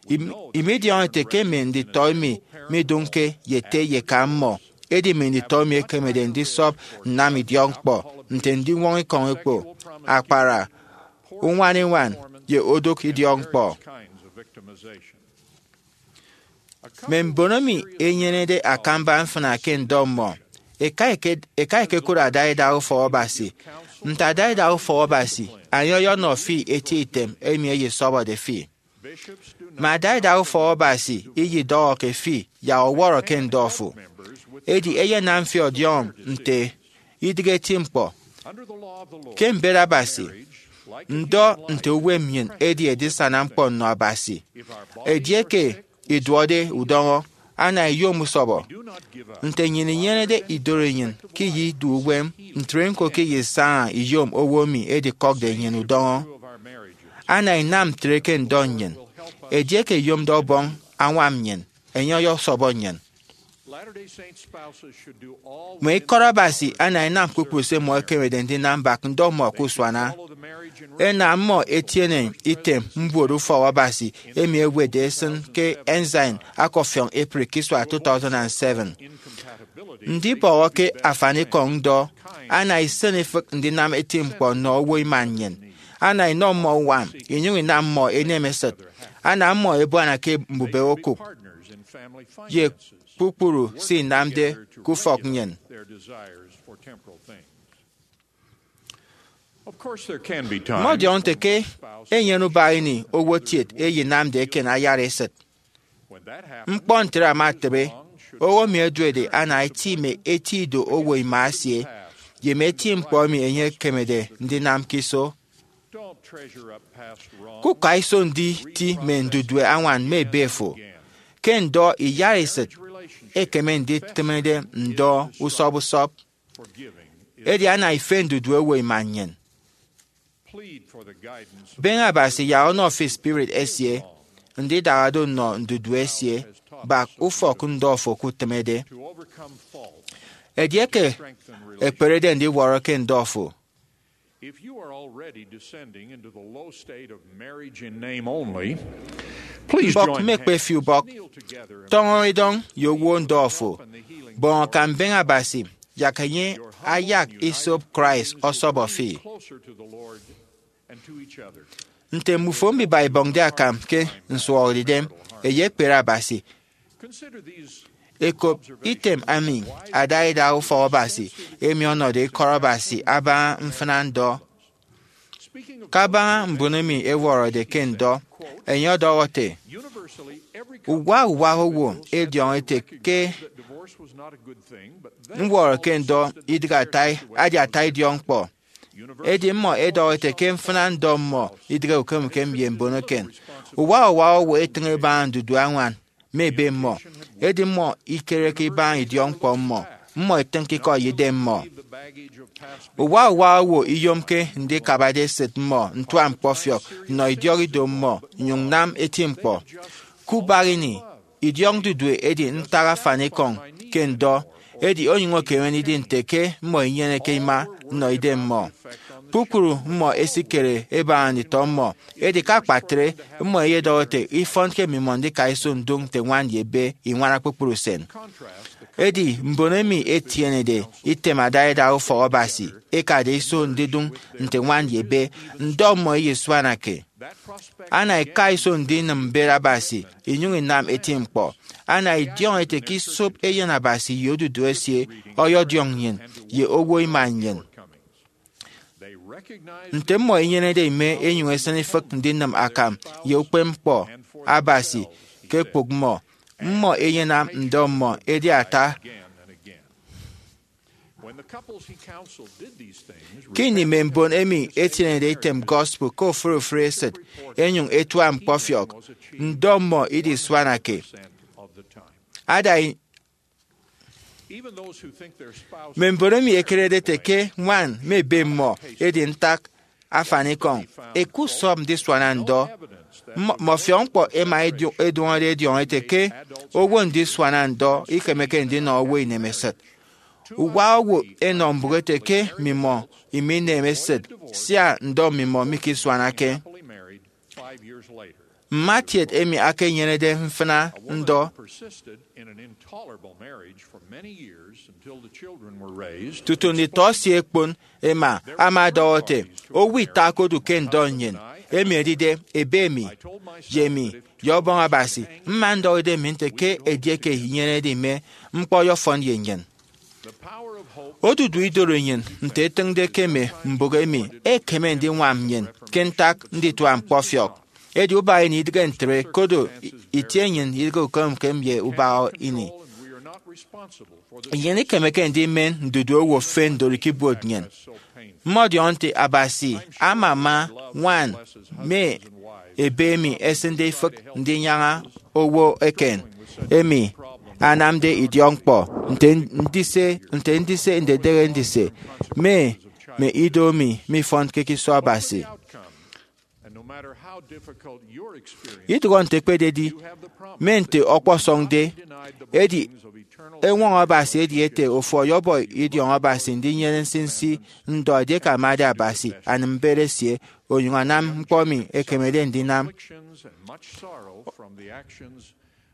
Im- imidiọñọ ete ke mme nditọ emi midụñke ye ete ye eka mmọ, edi mme nditọ emi ẹkemede ndisọp nnam idiọkñkpọ nte ndiñwọñ ikọñ ekpo, akpara, uñwaniñwan, ye odụk idiọkñkpọ. Mme mbon emi ẹnyenede akamba mfịna ke ndọ mmọ ẹka eke- ẹka ẹkekụt adaidak ufọk Abasi. Nte adaidak ufọk Abasi, enye ọyọnọ fi eti item emi eyesọbọde fi. Mme adaidak ufọk Abasi iyidọhọke fi yak ọwọrọ ke ndọ fo. Edi ẹyenam fi ọdiọñọ nte idịghe eti ñkpọ. Ke mbet Abasi, ndọ nte uwem nnyịn edi edisana ñkpọ nnọ Abasi. Edieke iduọde udọñọ, ana iyom usọbọ. Nte nnyịn inyenede idoro nnyịn ke iyidu uwem, ntre ñko ke iyisaña iyom owo emi edikọkde nnyịn udọñọ. Ana inam ntre ke ndọ nnyịn. Edieke ẹyomde ọbọñ añwam nnyịn, enye ọyọsọbọ nnyịn. Mme ikọt Abasi ana inam kpukpru se mmọ ẹkemede ndinam mbak ndọ mmọ ke usuana. Ẹna mmọ ẹtiene item mbuot ufọk Abasi emi ẹwetde ẹsịn ke Ensign akọfiọñ April ke isua two thousand and seven. Ndibọhọ ke afanikọñ ndọ ana isịn ifịk ndinam eti ñkpọ nnọ owo ima nnyịn, ana inọ mmọ uñwam inyụñ inam mmọ enem esịt, ana mmọ ebuana ke mbubehe okụk, ye kpukpru se inamde ke ufọk nnyịn. Mmọdiọñọ nte ke enyene ubak ini owo kiet eyinamde eken ayara esịt. Ñkpọ ntre ama etịbe, owo emi oduede ana etịme eti ido owo ima esie ye mme eti ñkpọ emi enye ekemede ndinam ke iso. Kuka iso nditi mme ndudue añwan mme ebe fo. Ke ndọ iyara esịt, ekeme nditịmede ndọ usọp usọp. Edi ana ife ndudue owo ima nnyịn. Beñe Abasi yak ọnọ fi spirit esie ndidara do nnọ ndudue esie bak ufọk ndọ fo ke utịmede. Edieke ekperede ndiwọrọ ke ndọ fo, If you are already descending into the low state of marriage in name only, please mbọk join mme ekpe fi ubọk, tọñọ idọñ ye owo ndọ fo, bọñ akam beñe Abasi, yak enye ayak isop Christ ọsọbọ fi. Closer to the Lord and to each other. Nte mmufo mbiba ibọñde akam ke nsuhọre idem, eyekpere Abasi. Ekop item emi adaida ufọk Abasi emi ọnọde ikọt Abasi abaña mfịna ndọ. Kabaña mbon emi ẹwọrọde ke ndọ, enye ọdọhọ ete, uwa uwa owo ẹdiọñọ ete ke ñwọrọ ke ndọ idịghe ata, adi ata idiọkñkpọ. Edi mmọ ẹdọhọ ete ke mfịna ndọ mmọ idịghe ukem ukem ye mbon eken. Uwa uwa owo etịñ ebaña ndudue añwan mme ebe mmọ, edi mmọ ikereke ibaña idiọkñkpọ mmọ, mmọ etịñke ikọ ye idem mmọ. Uwa uwa owo iyomke ndikabade esịt mmọ ntua ñkpọfiọk nnọ idiọk ido mmọ nnyụñ nam eti ñkpọ. Ke ubak ini, idiọk ndudue edi ntak afanikọñ ke ndọ, edi onyụñ ekeme ndidi nte ke mmọ inyeneke ima nnọ idem mmọ. Kpukpru mmọ ẹsikere ẹbaña nditọ mmọ, edi ke akpatre, mmọ ẹyedọhọ ete ifọn ke mmimọ ndika iso ndụñ nte ñwan ye ebe iñwana kpukpru usen. Edi mbon emi ẹtienede item adaida ufọk Abasi ẹkade iso ndidụñ nte ñwan ye ebe, ndọ mmọ iyisuanake. Ana ika iso ndinịm mbet Abasi inyụñ inam eti ñkpọ. Ana idiọñọ ete ke isop Eyen Abasi ye odudu esie ọyọdiọñ nnyịn ye owo ima nnyịn. Nte mmọ inyenede ime enyụñ esịn ifịk ndinịm akam ye ukpepñkpọ Abasi ke ekpụk mmọ, mmọ ẹyenam ndọ mmọ edi ata. When the couples he counseled did these things, ke ini mme mbon emi etienede item gospel ke ofụri ofụri esịt ẹnyụñ ẹtua ñkpọfiọk, ndọ mmọ idisuanake. Ada i- Even those who think their spouse mme mbon emi ẹkerede ete ke ñwan mme ebe mmọ edi ntak afanikọñ, ẹkusọp ndisuana ndọ. Mmọ- mmọfiọk ñkpọ ẹma ẹdu- ẹduọñọde ẹdiọñọ ete ke owo ndisuana ndọ ikemeke ndinọ owo inemesịt. Uwa owo ẹnọ mbụk ete ke mmimọ iminem esịt sia ndọ mmimọ mikisuanake. Mmatiet emi akenyenede mfịna ndọ persisted in an intolerable marriage for many years until the children were raised. Tutu nditọ esie ẹkpon, ema ama ọdọhọ ete, owo ita okodu ke ndọ nnyịn, emi edide ebe mi, ye mi, ye Ọbọñ Abasi, mma ndọhọ idem mi nte ke edieke inyenede ime, ñkpọ ọyọfọn ye nnyịn. Odudu idoro nnyịn nte etịñde ke mme mbụk emi ekeme ndiñwam nnyịn ke ntak nditua ñkpọfiọk. Edi ubak ini idịghe ntre, kodo i- itie nnyịn idịghe ukem ukem ye ubak ini. Nnyịn ikemeke ndimen ndudue owo fen ndorụk ibuot nnyịn. Mmọdiọñọ nte Abasi amama ñwan mme ebe emi ẹsịnde ifịk ndinyaña owo eken emi anamde idiọkñkpọ nte ndise, nte ndise ndedehe ndise mme, mme ido emi mifọnke ke iso Abasi. Idụhọ nte ekpededi mme nte ọkpọsọñde, edi Eñwọñọ Abasi edi ete ofo ọyọbọ idiọñọ Abasi ndinyene nsinsi ndọ edieke amade Abasi anam mbet esie onyụñ anam ñkpọ emi ekemede ndinam. Afflictions and much sorrow from the actions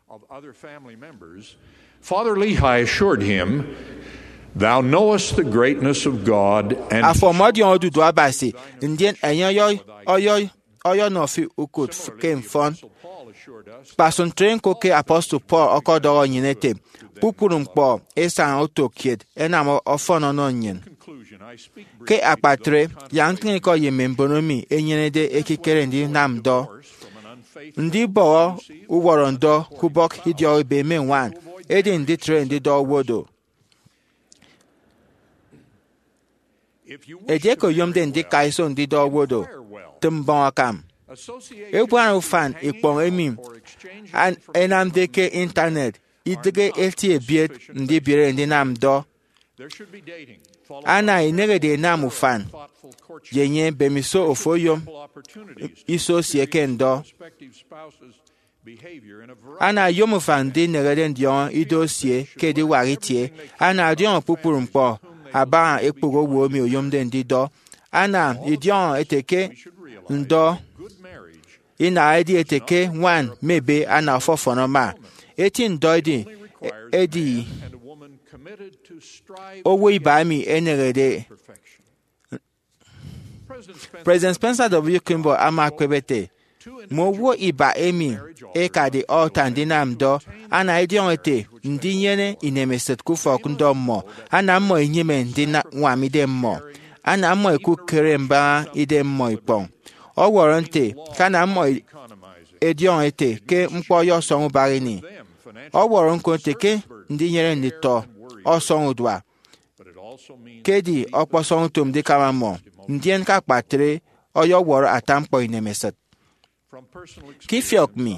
of other family members, Father Lehi assured him, "Thou knowest the greatness of God, and," Afo ọmọdiọñọ odudu Abasi, ndien enye ọyọ- ọyọ- ọyọnọ fi ukụt ke mfọn. Kpasụk ntre ñko ke apostle Paul ọkọdọhọ nnyịn ete, kpukpru ñkpọ esaña oto kiet ẹnam ọfọn ọnọ nnyịn. Ke akpatre, yak ntịñikọ ye mme mbono mi ẹnyenede ekikere ndinam ndọ. Ndibọhọ uwọrọ ndọ ke ubọk idiọk ebe mme ñwan edi nditre ndidọ owo do. Edieke oyomde ndika iso ndidọ owo do, tịm mbọñ akam. Ebuana ufan ikpọñ emi an- ẹnamde ke Intanet idịghe eti ebiet ndibiere ndinam ndọ. Ana inehede inam ufan ye enye mbemiso ofo oyom iso esie ke ndọ. Ana oyom ufan ndinehede ndiọñọ ido esie ke ediwak itie. Ana ọdiọñọ kpukpru ñkpọ abaña ekpụk owo emi oyomde ndidọ. Ana idiọñọ ete ke ndọ inaha edi ete ke ñwan mme ebe ana ọfọfọn ama. Eti ndọ edi edi owo iba emi enehede. President Spencer W. Kimball ama ekpep ete, mme owo iba emi ẹkade altar ndinam ndọ ana idiọñọ ete ndinyene inemesịt ke ufọk ndọ mmọ. Ana mmọ inyịme ndiñwam idem mmọ. Ana mmọ ikụkkere mbaña idem mmọ ikpọñ. Ọwọrọ nte ke ana mmọ idiọñọ ete ke ñkpọ ọyọsọñ ubak ini. Ọwọrọ ñko nte ke ndinyene nditọ ọsọñ udua, ke edi ọkpọsọñ utom ndikama mmọ, ndien ke akpatre ọyọwọrọ ata ñkpọ inemesịt. Ke ifiọk mi,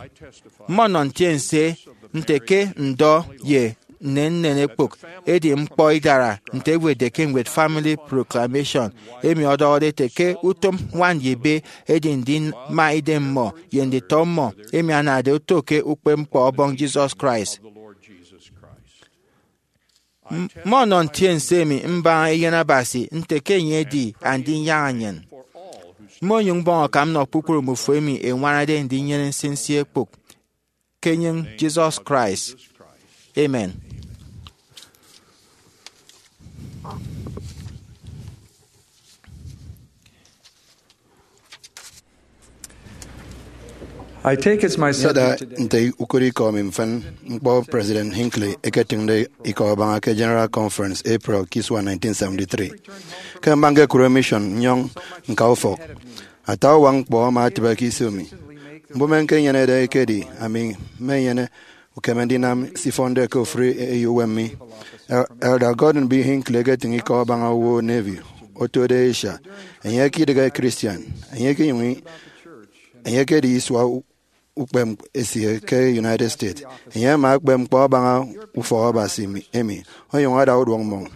mmọnọ ntiense nte ke ndọ ye nnennen ekpụk edi ñkpọ idara nte ewetde ke ñwed Family Proclamation, emi ọdọhọde ete ke utom ñwan ye ebe edi ndima idem mmọ ye nditọ mmọ emi anade oto ke ukpepñkpọ Ọbọñ Jesus Christ. M- mmọnọ ntiense emi mbaña eyen Abasi nte ke enye edi Andinyaña nnyịn. Mmonyụñ mbọñ akam nnọ kpukpru mbufo emi ẹñwanade ndinyene nsinsi ekpụk ke enyịñ Jesus Christ. Amen. I take as my Nyeda subject today nte ukot ikọ mi mfịn ñkpọ President Hinckley eketịñde ikọ abaña ke General Conference April ke isua nineteen seventy-three. Ke mbaña ñkekụre mission nnyọñ ñka ufọk, ata uwak ñkpọ ama atịbe ke iso mi. Mbụme ñkenyenede ekedi ami mmenyene ukeme ndinam se ifọnde ke ofụri eyo uwem mi. El- Elder Gordon B. Hinckley eketịñ ikọ abaña owo Navy otode Asia. Enye ekidịghe Christian. Enye ekenyụñ i- enye ekedi isua u- ukpep esie ke United States. Enye ama ekpep ñkpọ abaña ufọk Abasi mi- emi, onyụñ ada uduak mmọñ.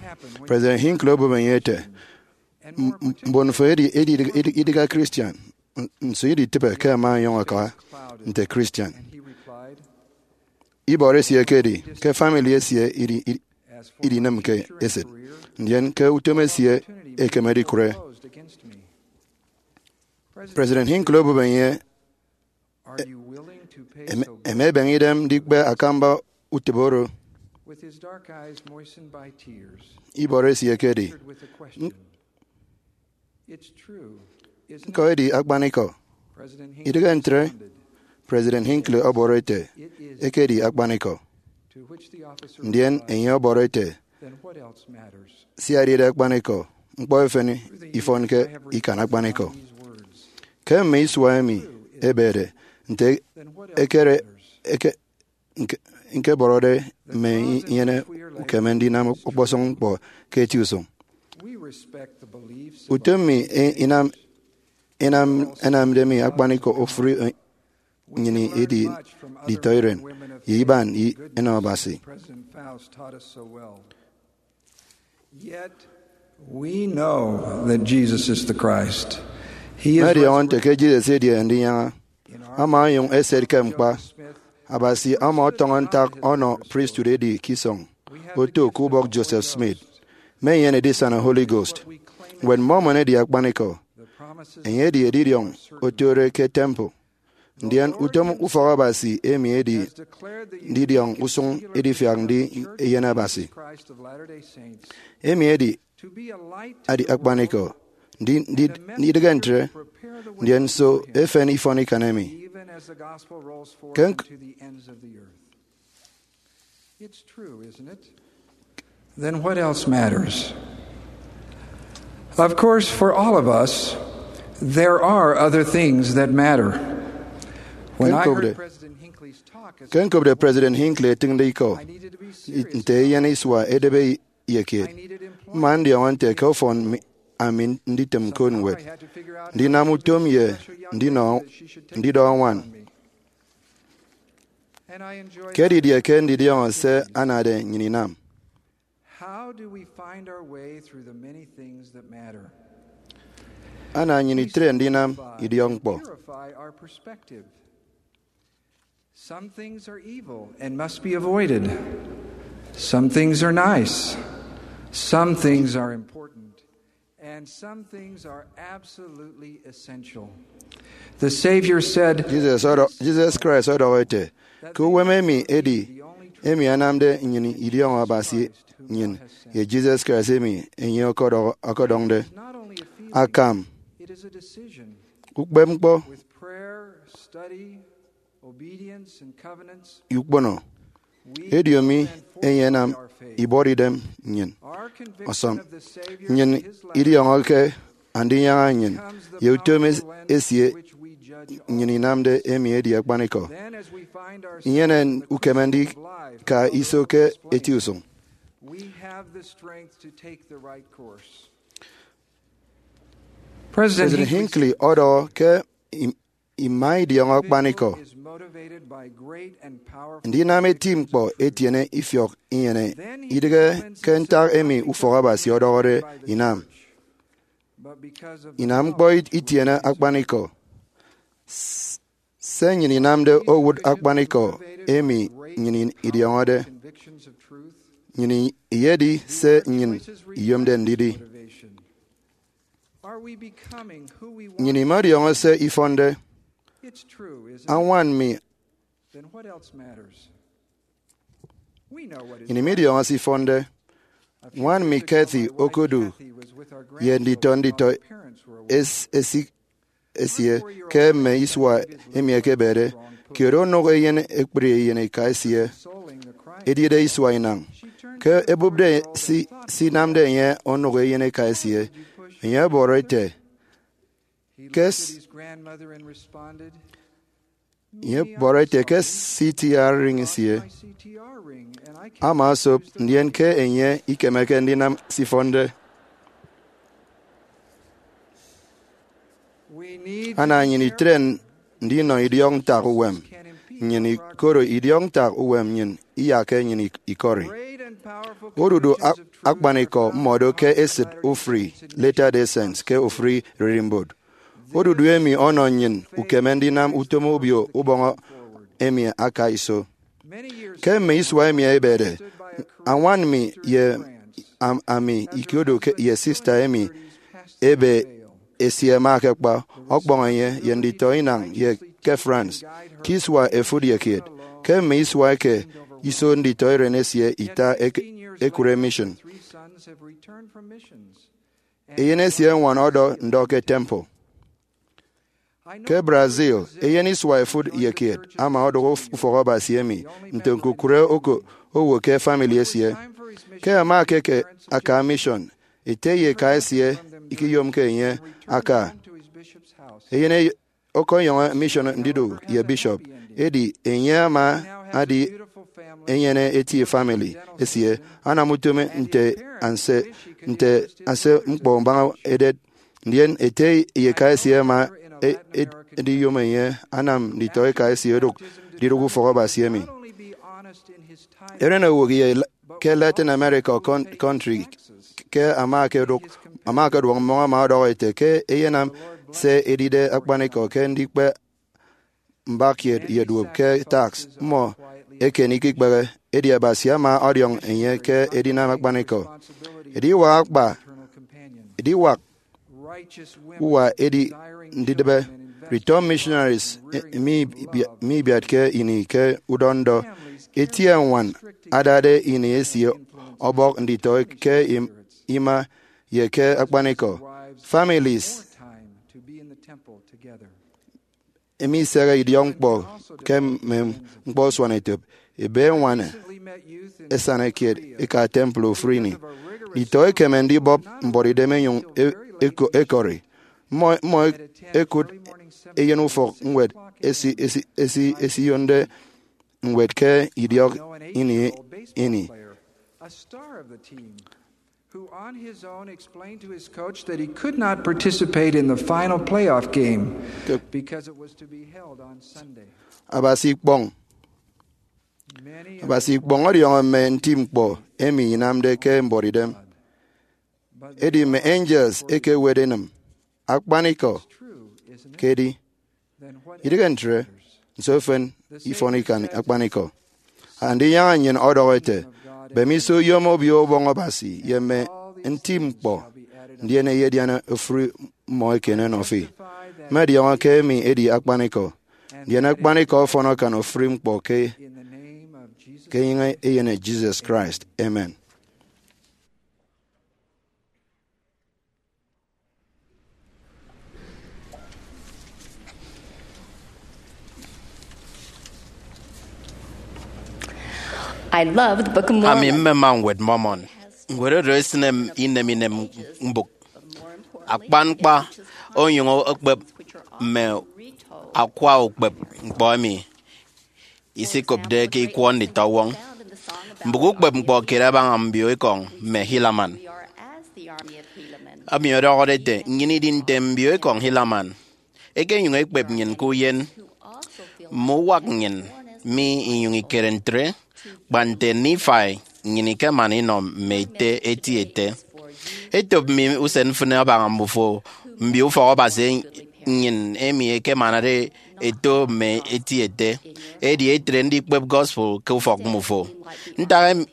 President Hinckley obụp enye ete, "M- m- mbon fo edi- edi- edi- idịghe Christian. N- Nso iditịbe ke ẹma ẹnyụñ ẹka nte Christian?" Ibọrọ esie ekedi ke family esie idi- idi- idinịmke esịt, ndien ke utom esie ekeme edikụre. President Hinckley obụp enye, "Em- em ebeñe idem ndikpe akamba utịp oro?" Ibọrọ esie ekedi, "Ñko edi akpanikọ, idịghe ntre?" President Hinckley ọbọrọ ete, "Ekedi akpanikọ." Ndien enye ọbọrọ ete, "Sia edide akpanikọ, ñkpọ efen ifọnke ikan akpanikọ." Ke mme isua emi ebede, nte ekere eke- ñke- ñkebọrọde mme inyene ukeme ndinam ọkpọsọñ ñkpọ ke eti usụñ. Utom mi i- inam inam ẹnamde mi akpanikọ ofụri, eh, nnyịn edi nditọiren ye iban i- enọ Abasi. President Faust taught us so well. Yet we know that Jesus is the Christ. He is Mmọdiọñọ nte ke Jesus edi Andinyaña. Ama onyụñ eset ke ñkpa. Abasi ama ọtọñọ ntak ọnọ priesthood edi ke isọñ. oto ke ubọk Joseph Smith, me enyene edisana Holy Ghost. Ñwed Mormon edi akpanikọ. Enye edi edidiọñ otode ke temple. Ndien utom ufọk Abasi emi edi ndidiọñ usuñ edifiak ndi Eyen Abasi. Emi edi adi akpanikọ, ndi, ndi, ndidịghe ntre, ndien nso efen ifọn ikan emi? Ke nk- Then what else matters? Of course, for all of us, there are other things that matter. When I heard President Hinckley's talk, as ke nkopde President Hinckley etịñde ikọ nte eyen isua edebe ye kiet, mma ndiọñọ nte ke ọfọn mi, ami nditịm ñkot ñwed, ndinam utom ye ndinọ, ndidọ añwan. Ke didie ke ndidiọñọ se anade nnyịn inam? How do we find our way through the many things that matter? Ana nnyịn itre ndinam idiọkñkpọ. Purify our perspective. Some things are evil and must be avoided. Some things are nice. Some things are important. And some things are absolutely essential. The Savior said, Jesus ọdọ, Jesus Christ ọdọhọ ete, ke uwem emi edi emi anamde nnyịn idiọñọ Abasi nnyịn ye Jesus Christ emi enye ọkọdọ-, ọkọdọñde. Akam, ukpepñkpọ, ukpono, ediomi enye anam ibuọt idem nnyịn. Ọsọñ, nnyịn idiọñọke Andinyaña nnyịn ye utom es-, esie nnyịn inamde emi edi akpanikọ. Inyene ukeme ndika iso ke eti usụñ. President Hinckley ọdọhọ ke im-, ima idiọñọ akpanikọ. Ndinam eti ñkpọ etiene ifiọk inyene, idịghe ke ntak emi ufọk Abasi ọdọhọde inam. Inam ñkpọ it-, itiene akpanikọ. S-, se nnyịn inamde owụt akpanikọ emi nnyịn idiọñọde. Nnyịn iyedi se nnyịn iyomde ndidi. Nnyịn imọdiọñọ se ifọnde. Añwan mi Nnyịn imidiọñọ se ifọnde. Ñwan mi Kathy okodu ye nditọ nditọ es-, esik esie ke mme isua emi ẹkebede kiet onụk eyen ekpri eyen eka esie, ediede isua inañ. Ke ebupde si, se inamde enye onụk eyen eka esie, enye ọbọrọ ete, ke s-, enye ọbọrọ ete ke C T R ring esie ama osop, ndien ke enye ikemeke ndinam se ifọnde. Ana nnyịn itre ndinọ idiọk ntak uwem nnyịn, koro idiọk ntak uwem nnyịn iyakke nnyịn ik-, ikọri. Odudu ak-, akpanikọ mmọdo ke esịt ofụri Latter-day Saints ke ofụri ererimbot. Odudu emi ọnọ nnyịn ukeme ndinam utom obio ubọñ emi aka iso. Ke mme isua emi ẹbede, añwan mi ye am-, ami ikodu ke, ye sista emi ebe esie ama akakpa ọkpọñ enye ye nditọ inañ ye ke France ke isua efụt ye kiet. Ke mme isua eke iso, nditọ eren esie ita ek-, ekụre mission. Eyen esie eñwan ọdọ ndọ ke temple. Ke Brazil, eyen isua efụt ye kiet ama odụk uf-, ufọk Abasi emi nte ñkukụre oko owo ke famili esie. Ke ama ke, ke aka mission, ete ye eka esie ikiyomke enye aka. Eyen e-, ọkọnyọñọ mission ndidu ye bishop, edi enye ama adi enyene eti famili esie, anam utom nte anse, nte anse ñkpọ mbaña edet. Ndien ete ye eka esie ama e-, e-, ediyom enye anam nditọ eka esie odụk didụk ufọk Abasi emi. Eren owo ye la-, ke Latin America con-, country ke ama akedụk, ama akeduọk mmọñ ama ọdọhọ ete ke eyenam se edide akpanikọ ke ndikpe mbak kiet ye duop ke tax. Mmọ eken ikekpehe, edi Abasi ama ọdiọñ enye ke edinam akpanikọ. Ediwak akpa, ediwak uwa edi ndidịbe Return Missionaries, eh, mi ibia-, mi ibiatke ini ke udọndọ itie ñwan adade ini esie ọbọk nditọ ke im-, ima ye ke akpanikọ. Families emi isehe idiọkñkpọ ke mme ñkpọ usuanetop, ebe eñwan esana kiet eka temple ofụri ini. Nditọ ẹkeme ndibọp mbuọtidem ẹnyụñ e-, ẹko-, ẹkọri. Mmọ, mmọ ẹkụt eyen ufọk ñwed esi-, esi-, esi-, esiyonde ñwed ke idiọk ini ini. Who on his own explained to his coach that he could not participate in the final playoff game because it was to be held on Sunday. Abasi ikpọñ. Abasi ikpọñ ọdiọñọ mme nti ñkpọ emi inamde ke mbuọtidem. Edi mme angels ekewet enịm akpanikọ ke edi. Idịghe ntre, nso efen ifọn ikan akpanikọ? Andinyaña nnyịn ọdọhọ ete, bemiso yom Obio Ubọñ Abasi ye mme nti ñkpọ, ndien eyedian ofụri mmọ eken ẹnọ fi. Mmọdiọñọ ke emi edi akpanikọ, ndien akpanikọ ọfọn akan ofụri ñkpọ ke, ke enyịñ eyen Jesus Christ. Amen. I love the Book of Mormon. Ami mmema Ñwed Mormon. Ñwed oro esịne inem inem mbụk akpan ñkpa, onyụñ okpep mme akwa ukpep ñkpọ emi isikopde ke ikwọ nditọwọñ. Mbụk ukpep ñkpọ kiet abaña mbio ekọñ mme Helaman, emi ọdọhọde ete, nnyịn idi nte mbio ekọñ Helaman. Ekenyụñ ekpep nnyịn ke uyen, mme uwak nnyịn mi inyụñ ikere ntre, kpa nte Nifai nnyịn ikemana inọ mme ete eti ete. Etop mi usen mfịn abaña mbufo mbio ufọk Abasi nnyịn emi ẹkemanade ẹto mme eti ete, edi ẹtre ndikpep gospel ke ufọk mmufo. Ntak em-,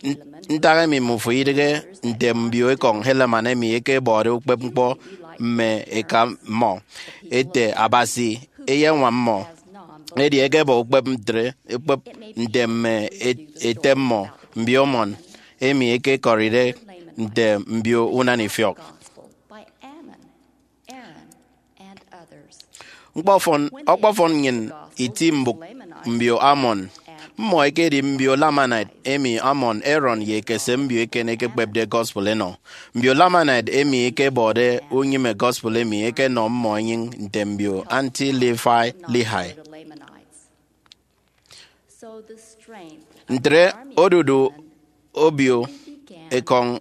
ntak emi mmufo idịghe nte mbio ekọñ Helaman emi ẹkebọde ukpep ñkpọ mme eka mmọ? Ete Abasi eyeñwam mmọ. Edi ẹkebọ ukpep ntre, ukpep nte mme et-, ete mmọ, mbio Mormon, emi ẹkekọride nte mbio unana ifiọk. Ñkpọfọn, ọkpọfọn nnyịn iti mbụk mbio Ammon. Mmọ ẹkedi mbio Lamanite emi Ammon, Aaron, ye ekese mbio eken ẹkekpepde gospel ẹnọ. Mbio Lamanite emi ẹkebọde unyịme gospel emi ẹkenọ mmọ enyịñ nte mbio Anti-Levi, Lehi. Ntre odudu obio ekọñ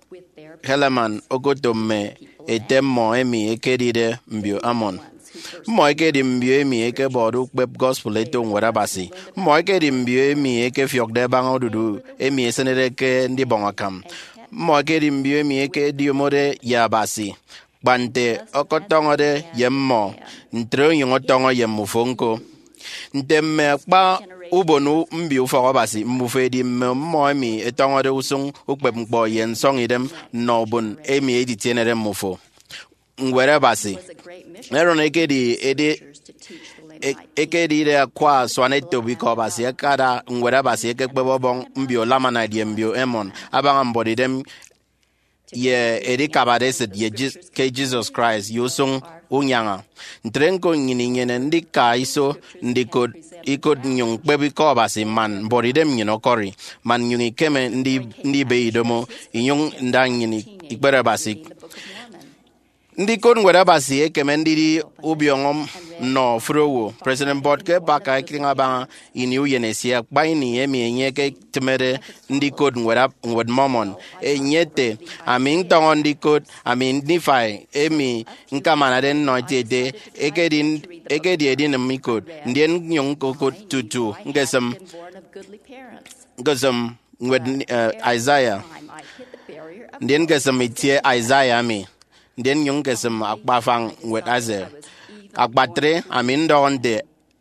Helaman okoto mme ete mmọ emi ẹkedide mbio Ammon. Mmọ ẹkedi mbio emi ẹkebọde ukpep gospel ẹto Ñwed Abasi. Mmọ ẹkedi mbio emi ẹkefiọkde ẹbaña odudu emi esịnede ke ndibọñ akam. Mmọ ẹkedi mbio emi ẹkediomode ye Abasi, kpa nte ọkọtọñọde ye mmọ, ntre onyụñ ọtọñọ ye mmufo ñko. Nte mme akpa ubon u-, mbio ufọk Abasi, mbufo ẹdi mme mmọ emi ẹtọñọde usụñ ukpepñkpọ ye nsọñidem nnọ ubon emi editienede mmufo. Ñwed Abasi. Aaron ekedi ede-, e-, ekedide akwa asuanetop ikọ Abasi, akada Ñwed Abasi ekekpep ọbọñ mbio Lamanite ye mbio Ammon abaña mbuọtidem ye edikabade esịt ye Je-, ke Jesus Christ ye usụñ unyaña. Ntre ñko nnyịn inyene ndika iso ndikot ikot nnyụñ ñkpep ikọ Abasi man mbuọtidem nnyịn ọkọri, man nnyụñ ikeme ndi-, ndibe idomo inyụñ nda nnyịn ikpere Abasi. Ndikot Ñwed Abasi ekeme ndidi ubiọñọ nnọ ofụri owo. President Boyd K. Packer eketịñ abaña ini uyen esie, akpa ini emi enye eketịmede ndikot Ñwed Ab-, Ñwed Mormon. Enye ete, ami ntọñọ ndikot, ami Nifai, emi ñkamanade nnọ etieti, ekedi, ekedi edinịm ikot, ndien nnyụñ ñkokụt tutu ñkesịm, ñkesịm ñwed, eh, Isaiah, ndien ñkesịm itie Isaiah emi, ndien nnyụñ ñkesịm akpa afañ ñwed Isaiah. Akpatre, ami ndọhọ nte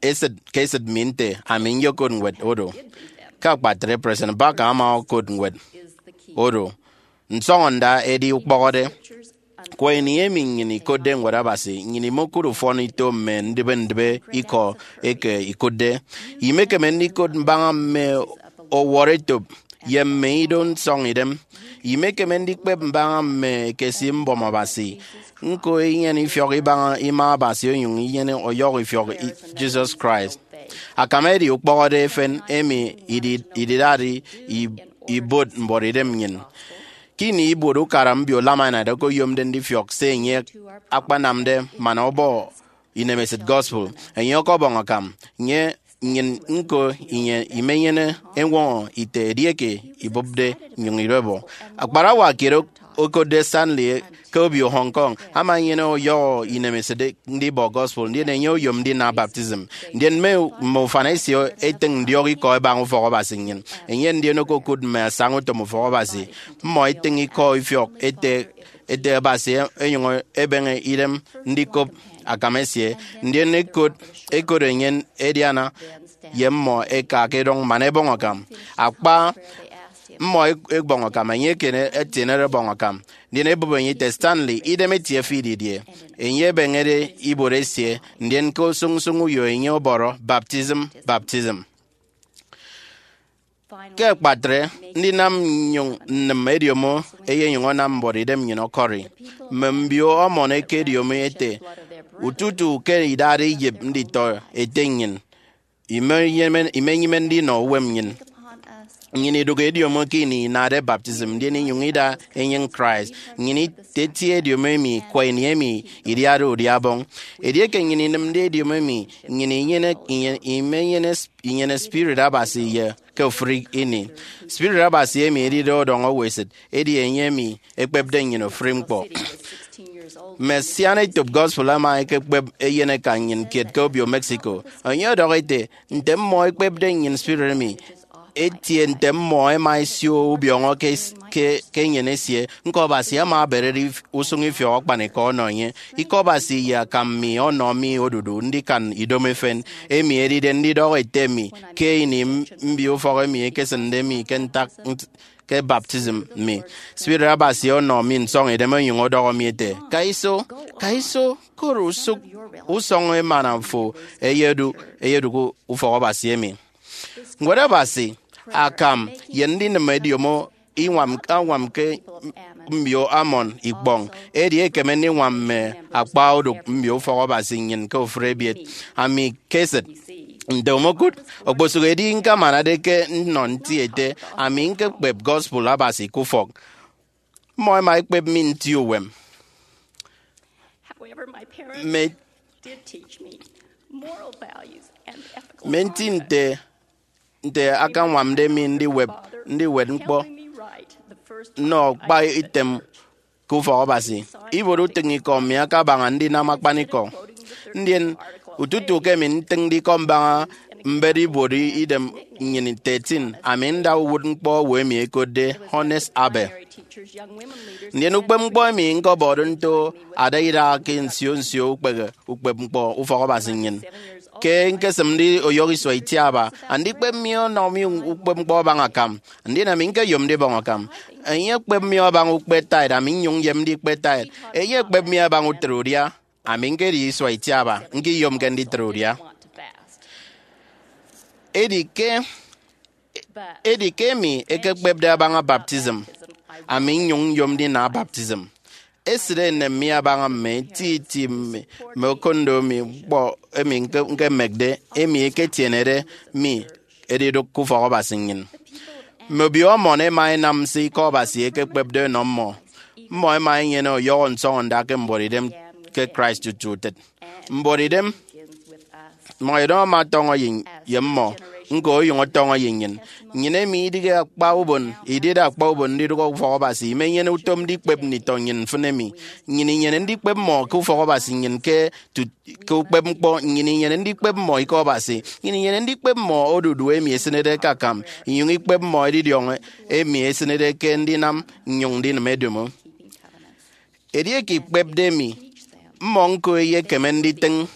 esịt ke esịt mi nte ami nyokot ñwed oro. Ke akpatre, President Parker ama okot ñwed oro, Nsọñọnda Edi Ukpọhọde. Kwa ini emi nnyịn ikotde Ñwed Abasi, nnyịn imokụt ufọn ito mme ndịbe ndịbe ikọ eke ikụtde. Imekeme ndikot mbaña mme ọwọrọetop ye mme ido nsọñidem. Imekeme ndikpep mbaña mme ekesi mbọm Abasi. Ñko inyene ifiọk ibaña ima Abasi onyụñ inyene ọyọhọ ifiọk i- Jesus Christ. Akam edi ukpọhọde efen emi idi- ididade i- ibuot mbuọtidem nnyịn. Ke ini ibuot ukara mbio Lamanite okoyomde ndifiọk se enye akpanamde man ọbọ inemesịt gospel, enye ọkọbọñ akam. Nye nnyịn ñko, inye imenyene eñwọñọ ite edieke ibụpde nnyụñ idọbọ. Akparawa kiet ok- okotde Stanley ke obio Hong Kong ama enyene ọyọhọ inemesịt ndibọ gospel, ndien enye oyom ndina baptism. Ndien mme, mme ufan esie etịñ ndiọk ikọ ẹbaña ufọk Abasi nnyịn. Enye ndien okokụt mme asañautom ufọk Abasi. Mmọ etịñ ikọ ifiọk ete, ete Abasi enyụñ ebeñe idem ndikop akam esie, ndien ekot, ekot enye ediana ye mmọ eka ke edọñ man ẹbọñ akam. Akpa mmọ ẹk- ẹbọñ akam, enye eken etienede ẹbọñ akam, ndien ebụp enye ete, Stanley, idem etie fi didie? Enye ebeñede ibuot esie, ndien ke usụñ usụñ uyo enye ọbọrọ, Baptism, baptism. Ke akpatre, ndinam nnyụñ nnịm ediomo eyenyụñ anam mbuọtidem nnyịn ọkọri. Mme mbio ọmọn ẹkediomi ẹte, ututu ke idade iyịp nditọ ete nnyịn, imenyịme, imenyịme ndinọ uwem nnyịn. Nnyịn idụk ediomo ke ini inade baptism, ndien inyụñ ida enyịñ Christ. Nnyịn etie ediomo emi kwa ini emi idiade udia Ọbọñ. Edieke nnyịn inịmde ediomo emi, nnyịn inyene, inye- imenyene sp- inyene Spirit Abasi ye ke ofụri ini. Spirit Abasi emi edide ọdọñ owo esịt, edi enye emi ekpepde nnyịn ofụri ñkpọ. Mme asian etop gospel ẹma ẹkekpep eyeneka nnyịn kiet ke obio Mexico. Enye ọdọhọ ete, nte mmọ ẹkpepde nnyịn spirit emi, etie nte mmọ ẹma ẹsio ubiọñọ ke, ke, ke enyịn esie. Ñko Abasi ama aberede if- usụñ ifiọk akpanikọ ọnọ enye. Ikọ Abasi ye akam mi ọnọ mi odudu ndikan idomo efen, emi edide ndidọhọ ete mi ke ini m- mbio ufọk emi ekesịnde mi ke ntak nt- ke baptism mi. Spirit Abasi ọnọ mi nsọñidem onyụñ ọdọhọ mi ete, ka iso, ka iso, koro usụk usọñ emana fo eyedu, eyedụk ufọk Abasi emi. Ñwed Abasi, akam, ye ndinịm ediomo iñwam, añwam ke mbio Ammon ikpọñ, edi ekeme ndiñwam mme akpa odụk mbio ufọk Abasi nnyịn ke ofụri ebiet. Ami ke esịt, nte omokụt, okposụk edi ñkamanade ke nnọ nti ete, ami ñkekpep gospel Abasi ke ufọk. Mmọ ẹma ẹkpep mi nti uwem. However, my parents Mme, did teach me moral values and ethical mme nti conduct. Nte, nte akañwamde mi ndiwep, ndiwet ñkpọ, helping me write the first nnọ book I kpa ever item ke ufọk Abasi. Ibuot utịñikọ mi akabaña ndinam akpanikọ. Ndien, ututu ke mi ntịñde ikọ mbaña mbet ibuot idem nnyịn thirteen, ami nda uwụtñkpọ owo emi ẹkotde Honest Abbey. Ndien ukpepñkpọ emi ñkọbọde nto ada idaha ke nsio nsio ukpehe ukpepñkpọ ufọk Abasi nnyịn. Ke ñkesịmde oyụhọ isua itiaba, andikpep mi ọnọ mi ukpepñkpọ abaña akam, ndien ami ñkeyom ndibọñ akam. Enye ekpep mi abaña ukpe tithe, ami nnyụñ nyem ndikpe tithe. Enye ekpep mi abaña utre udia, ami ñkedi isua itiaba, ñkiyomke nditre udia. Edi ke, edi ke emi ekekpepde abaña baptism, ami nnyụñ nyom ndina baptism. Esịt enem mi abaña mme eti eti mme, mme okondo mi, ñkpọ emi ñke-, ñkemekde, emi eketienede mi edidụk ke ufọk Abasi nnyịn. Mme obio Ammon ẹma ẹnam se ikọ Abasi ekekpepde ẹnọ mmọ. Mmọ ẹma ẹnyene ọyọhọ nsọñọnda ke mbuọtidem ke Christ tutu utịt. Mbuọtidem, mbuọtidem ama ọtọñọ ye, ye mmọ, ñko oyụñ ọtọñọ ye nnyịn. Nnyịn emi idịghe akpa ubon, idide akpa ubon ndidụk ufọk Abasi, imenyene utom ndikpep nditọ nnyịn mfịn emi. Nnyịn inyene ndikpep mmọ ke ufọk Abasi nnyịn ke tut-, ke ukpepñkpọ, nnyịn inyene ndikpep mmọ ikọ Abasi, nnyịn inyene ndikpep mmọ odudu emi esịnede ke akam, inyụñ ikpep mmọ edidiọñ emi esịnede ke ndinam nnyụñ ndinịm ediomo. Edieke ikpepde mi, mmọ ñko eyekeme nditịñ.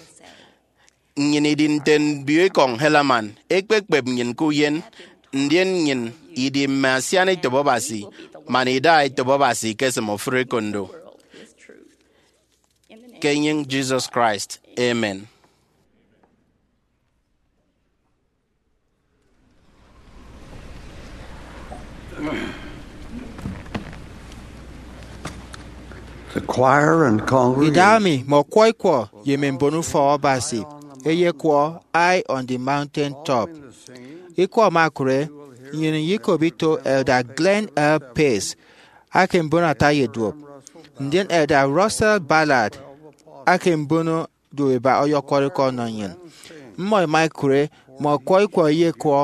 Nnyịn idi nte mbio ekọñ Helaman, ekpekpep nnyịn ke uyen, Ndien nnyịn idi mme asiana etop Abasi, man idaha etop Abasi ikesịm ofụri ekondo. Ke enyịñ Jesus Christ, amen. The choir and congregation. Idahaemi mme ọkwọ ikwọ ye mme mbon ufọk Abasi eyekwọ High on the Mountain Top. Ikwọ ẹma ẹkụre, nnyịn iyikop ito Elder Glenn L. Pace, ake mbon ata ye duop, ndien Elder Russell Ballard, ake mbon duoiba, ọyọkwọrọ ikọ ọnọ nnyịn. Mmọ ẹma ẹkụre mme ọkwọ ikwọ eyekwọ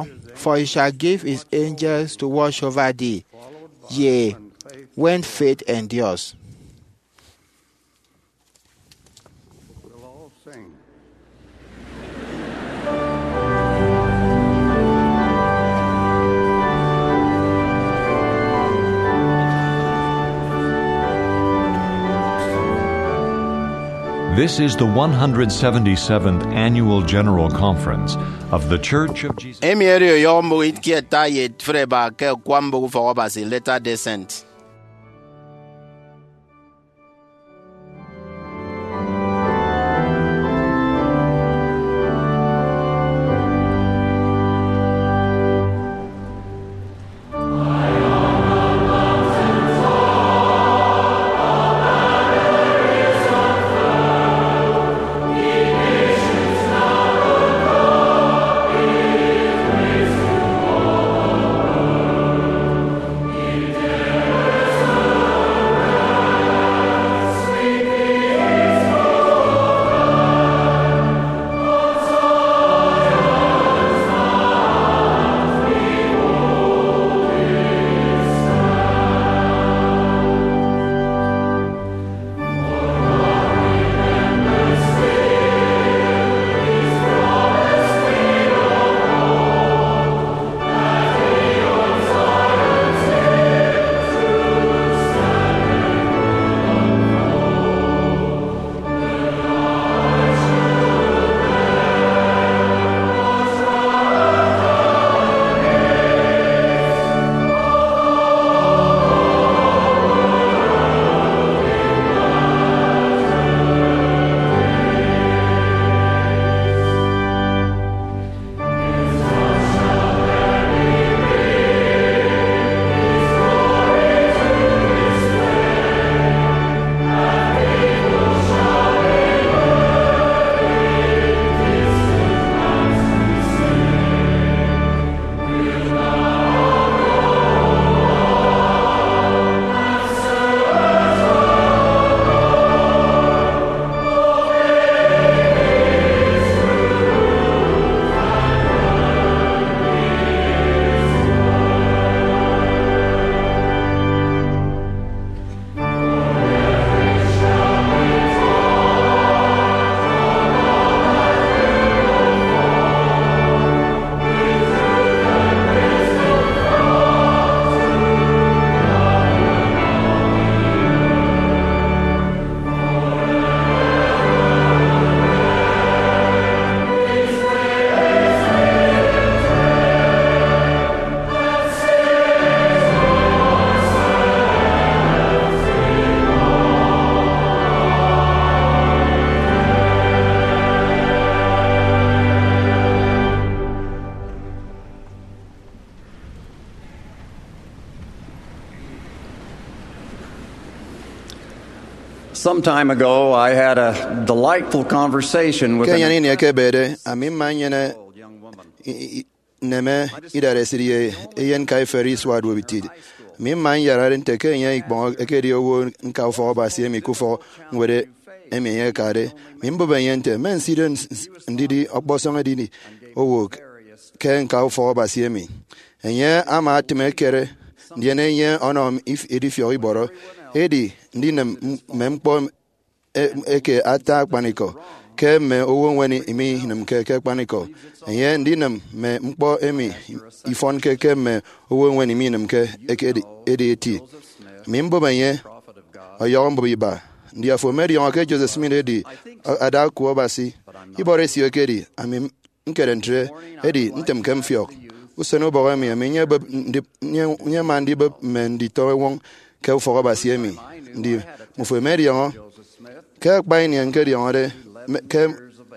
For He Shall Give His Angels to Watch Over Thee ye When Faith Endures. We'll all sing. This is the one hundred seventy-seventh Annual General Conference of The Church of Jesus. Emi edi ọyọhọ mbụk kiet ata ye efịt eba ke akwa mbụk ufọk Abasi, Latter-day Saint. Some time ago, I had a delightful conversation with an enyene ini ekebede, ami mma nyene i- i- nneme idaresit ye eyen kaiferi isua duop itiat. Ami mma nyarare nte ke enye ikpọñ ekedi owo nka ufọk Abasi emi ke ufọk ñwed emi enye akade. Ami mbụp enye nte, mme nsido ns- ns- ndidi ọkpọsọñ edidi owo ke nka ufọk Abasi emi. Enye ama atịm ekere, ndien enye ọnọ m if- edifiọk ibọrọ. Edi ndinịm m- mme ñkpọ e- eke ata akpanikọ ke mme owo eñwen iminịmke ke akpanikọ, enye ndinịm mme ñkpọ emi ifọnke ke mme owo eñwen iminịmke ekedi edi eti. Ami mbụp enye, ọyọhọ mbụp iba, ndi afo emediọñọ ke Joseph Smith edi ada oku Abasi? Ibọrọ isio ekedi, ami ñkere ntre, edi ntịmke mfiọk. usen ubọk emi, ami nyebep ndi-, nye, nyema ndibep mme nditọ ewọñ ke ufọk Abasi emi. Ndi, mmufo emi ẹdiọñọ? Ke akpa ini ñkediọñọde me-, ke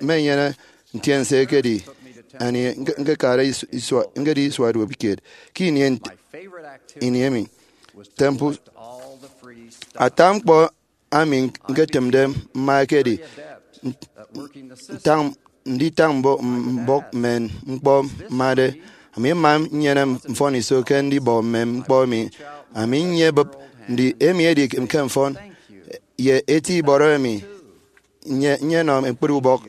mme enyene ntiense ekedi, ani ñke-, ñkekade is-, isua, ñkedi isua duop kiet ke ini ent-, ini emi. Temple, ata ñkpọ ami ñketịmde mma ekedi ntañ, nditañ mbo-, mbọk mme ñkpọ mmade. Ami mma nnyene mfọniso ke ndibọ mme ñkpọ emi. Ami nyebịp ndi emi edi ke mfọn ye eti ibọrọ emi nye, nyenọ ñkpri ubọk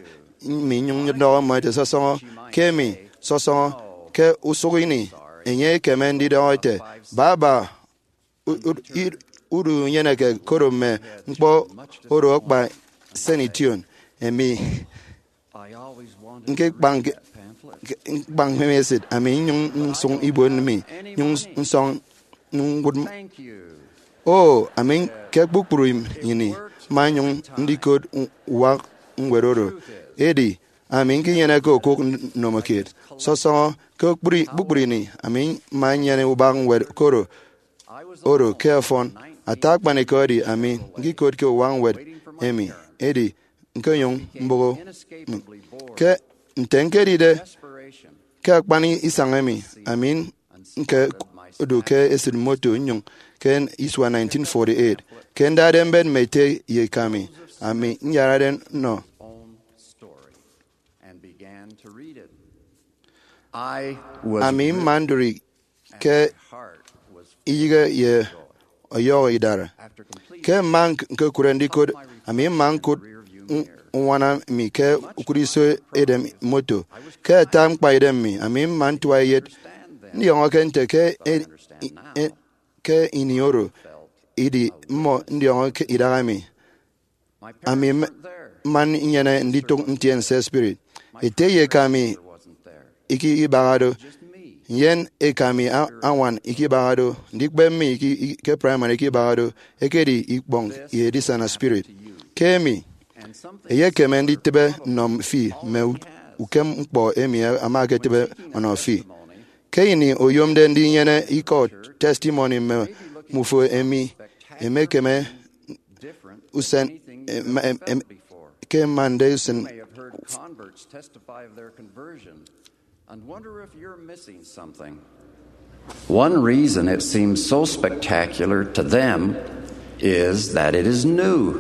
mi, nyụñ ndọhọ mmọ ete, sọsọñọ ke emi, sọsọñọ ke usụk ini enye ekeme ndidọhọ ete, baba, u-, u-, i-, udu unyeneke koro mme ñkpọ oro akpa senition emi. Ñkekpañ, ñkekpañ mme esịt ami, nyụñ nsụñ ibuot mi, nyụñ nsọñ ñwụt m-, o, ami ke kpukpru ini mma nyụñ ndikot u-, uwak ñwed oro. Edi ami ñkinyeneke okụk n-, nnomokiet. Sọsọñọ ke kpukpru, kpukpru ini ami mma nnyene ubak ñwed koro oro ke ọfọn. Ata akpanikọ edi ami ñkikotke uwak ñwed emi, edi ñkenyụñ mboho mi. Ke nte ñkedide ke akpan isañ emi, ami ñkedu ke esịt moto nnyụñ ke isua nineteen forty-eight, ke ndade mbet mme ete ye eka mi, ami nyarade nnọ. Ami mma ndụri ke iyịghe ye ọyọhọ idara. Ke mma ñk-, ñkekụre ndikot, ami mma ñkụt u-, uñwana mi ke ukụt iso edem moto. Ke ata ñkpaidem mi, ami mma ntua eyet ndiọñọke nte ke e-, e-, ke ini oro idi mmọ ndiọñọke idaha mi. Ami m-, mma nnyene nditụk ntiense spirit. Ete ye eka mi iki ibaha do, nnyịn eka mi a-, añwan iki ibaha do, ndikpep mi iki, i-, ke primary iki ibaha do, ekedi ikpọñ ye edisana spirit. Ke emi, eyekeme nditịbe nnọ fi mme u-, ukem ñkpọ emi ama eketịbe ọnọ fi. Ke ini oyomde ndinyene ikọ testimony mme mmufo emi emekeme usen, em-, em-, em-, ke mmande usen. You may have heard converts testify of their conversion and wonder if you're missing something. One reason it seems so spectacular to them is that it is new.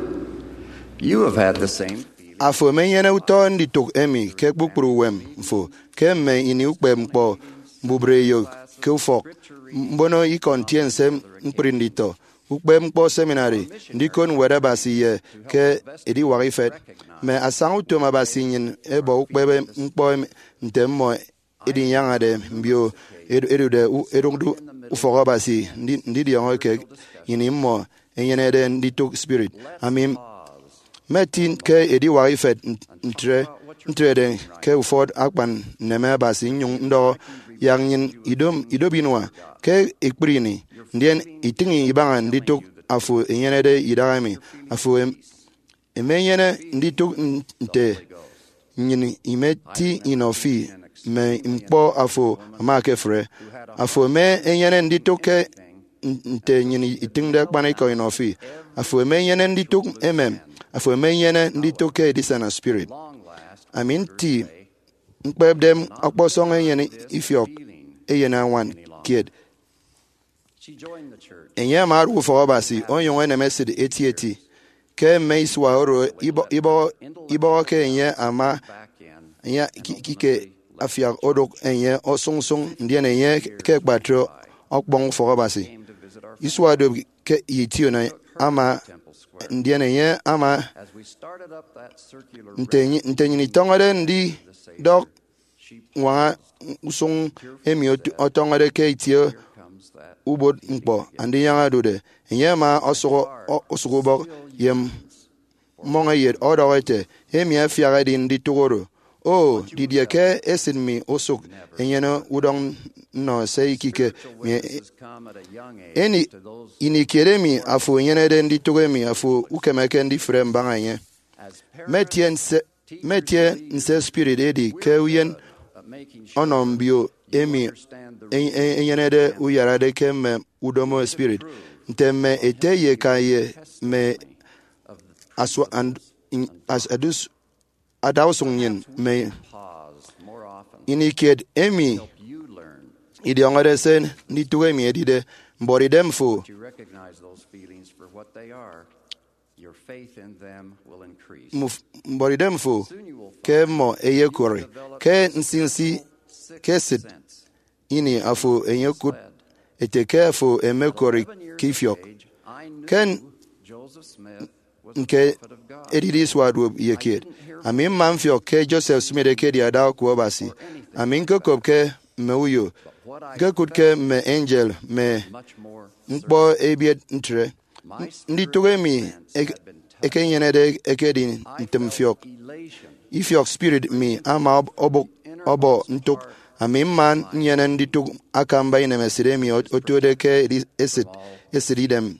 You have had the same feeling. Afo emenyene utọ nditụk emi ke kpukpru uwem fo ke mme ini ukpep ñkpọ mbubreyo ke ufọk, mbono ikọ ntiense ñkpri nditọ, ukpep ñkpọ seminary, ndikot Ñwed Abasi ye ke ediwak ifet. Mme asañautom Abasi nnyịn ẹbọ ukpep ñkpọ em-, nte mmọ edinyañade mbio edu-, edude u-, edụkde ufọk Abasi ndi-, ndidiọñọ ke ini mmọ ẹnyenede nditụk spirit. Ami m-, mmeti ke ediwak ifet n-, ntre, ntrede ke ufọt akpan nneme Abasi nnyụñ ndọhọ, yak nnyịn idom, idop inua ke ekpri ini, ndien itịñ ibaña nditụk afo enyenede idaha emi. Afo em-, emenyene nditụk n-, nte nnyịn imeti inọ fi mme ñkpọ afo ama ekefre. Afo eme enyene nditụk ke n-, nte nnyịn itịñde akpanikọ inọ fi. Afo eme enyene nditụk emem. Afo eme enyene nditụk ke edisana spirit. Ami nti ñkpepde ọkpọsọñ enyene ifiọk eyenañwan kiet. Enye ama aru ufọk Abasi onyụñ enem esịt etieti. Ke mme isua oro ibọ-, ibọ-, ibọhọke enye ama, enye ki-, kike afiak odụk enye osụñsụñ, ndien enye ke akpatre ọkpọñ ufọk Abasi. Isua duop ke ition ama, ndien enye ama nte nyi-, nte nnyịn itọñọde ndidọk ñwaña usụñ emi ot-, ọtọñọde ke itie ubot ñkpọ Andinyaña odude, enye ama ọsụk, ọ-, ọsụk ubọk ye mmọñeyet ọdọhọ ete, emi afiak edi nditụk oro. O, didie ke esịt mi osụk enyene udọñ nnọ se ikike mi? Eni, ini kiet emi afo enyenede nditụk emi, afo ukemeke ndifre mbaña enye. Mmetie nse, mmetie nse spirit edi ke uyen ọnọ mbio emi e- e- enyenede uyarade ke mme udomo spirit, nte mme ete ye eka ye mme asua- and- in- as- adus- adausụñ nnyịn mme ini kiet emi idiọñọde se nditụk emi ẹdide. Mbuọtidem fo, muf- mbuọtidem fo ke mmọ eyekụri ke nsinsi ke esịt ini afo enyekụt ete ke afo emekọri ke ifiọk. Ke nke edide isua duop ye kiet, ami mma mfiọk ke Joseph Smith ekedi ada oku Abasi. Ami ñkokopke mme uyo, ñkokụtke mme angel, mme ñkpọ ebiet ntre. Nditụk emi ek- ekenyenede ekedi ntịmfiọk. Ifiọk spirit mi ama ọb- ọbụk ọbọ ntụk. Ami mma nnyene nditụk akamba inemesịt emi ot- otuede ke edi- esịt esịt idem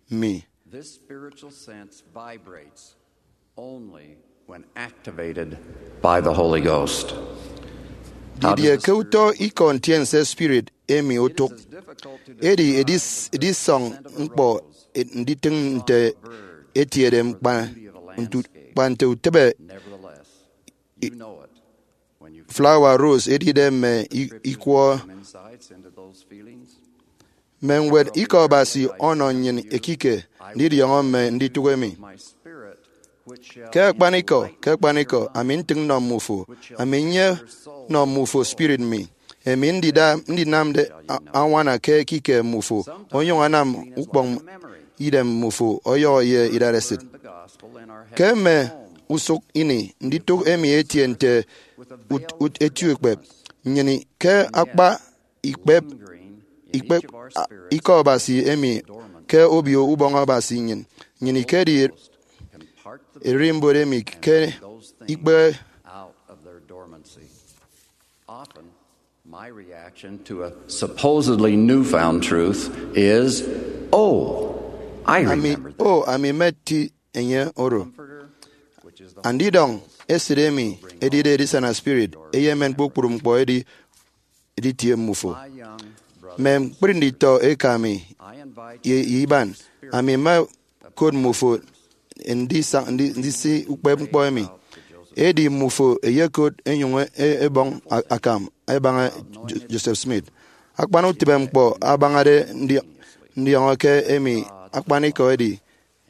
mi. This spiritual sense vibrates only when activated by the Holy Ghost. Didie ke utọ ikọ ntiense spirit emi otụk? Edi edis- edisọñ ñkpọ nditịñ nte etiede, kpa ntu- kpa nte utịbe flawa rose edide mme i- ikwọ. Mme ñwed ikọ Abasi ọnọ nnyịn ekike ndidiọñọ mme nditụk emi. Ke akpanikọ, ke akpanikọ, ami ntịñ nnọ mmufo, ami nye nnọ mmufo spirit mi, emi ndida- ndinamde a- añwana ke ekike mmufo, onyụñ anam ukpọñ idem mmufo ọyọhọ ye idatesịt. Ke mme usụk ini, nditụk emi etie nte ut- ut- eti ukpep nnyịn ke akpa ikpep ikpep a- ikọ Abasi emi ke Obio Ubọñ Abasi nnyịn. Nnyịn ikedi ererimbot emi ke ikpe. Out of their dormancy. Often, my reaction to a supposedly newfound truth is, "Oh, I Ami remember that." O, ami mmeti enye oro. Andidọñ esịt emi edide edisana spirit eyemen kpukpru ñkpọ edi editie mmufo. Mme ñkpri nditọ eka mi ye ye iban, ami mma kod mmufo ndisa- ndi- ndisi ukpep ñkpọ emi. Edi mmufo eyekot enyụñ e- ebọñ a- akam ẹbaña Jo- Joseph Smith. Akpan utịbe ñkpọ abañade ndi- ndiọñọ ke emi akpanikọ edi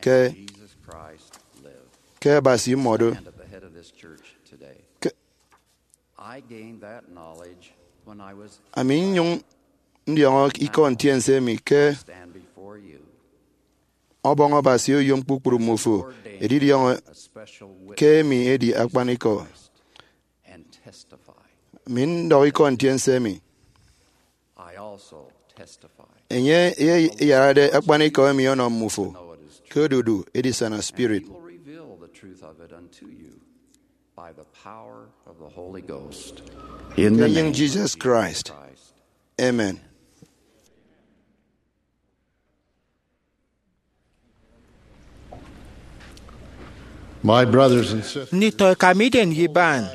ke ke Abasi mmọdo. Ke- I gained that knowledge when I was ami nnyụñ ndiọñọ ikọ ntiense emi ke stand before you. Ọbọñ Abasi oyom kpukpru mmufo edidiọñọ a special witness ke emi edi akpanikọ. And testify. Mi ndọhọ ikọ ntiense emi. I also testify. Enye eyarade akpanikọ emi ọnọ mmufo ke odudu edisana spirit. He will reveal the truth of it unto you by the power of the Holy Ghost. In the name of Jesus Christ. Amen. My brothers and sisters, nditọ eka mi idem ye iban,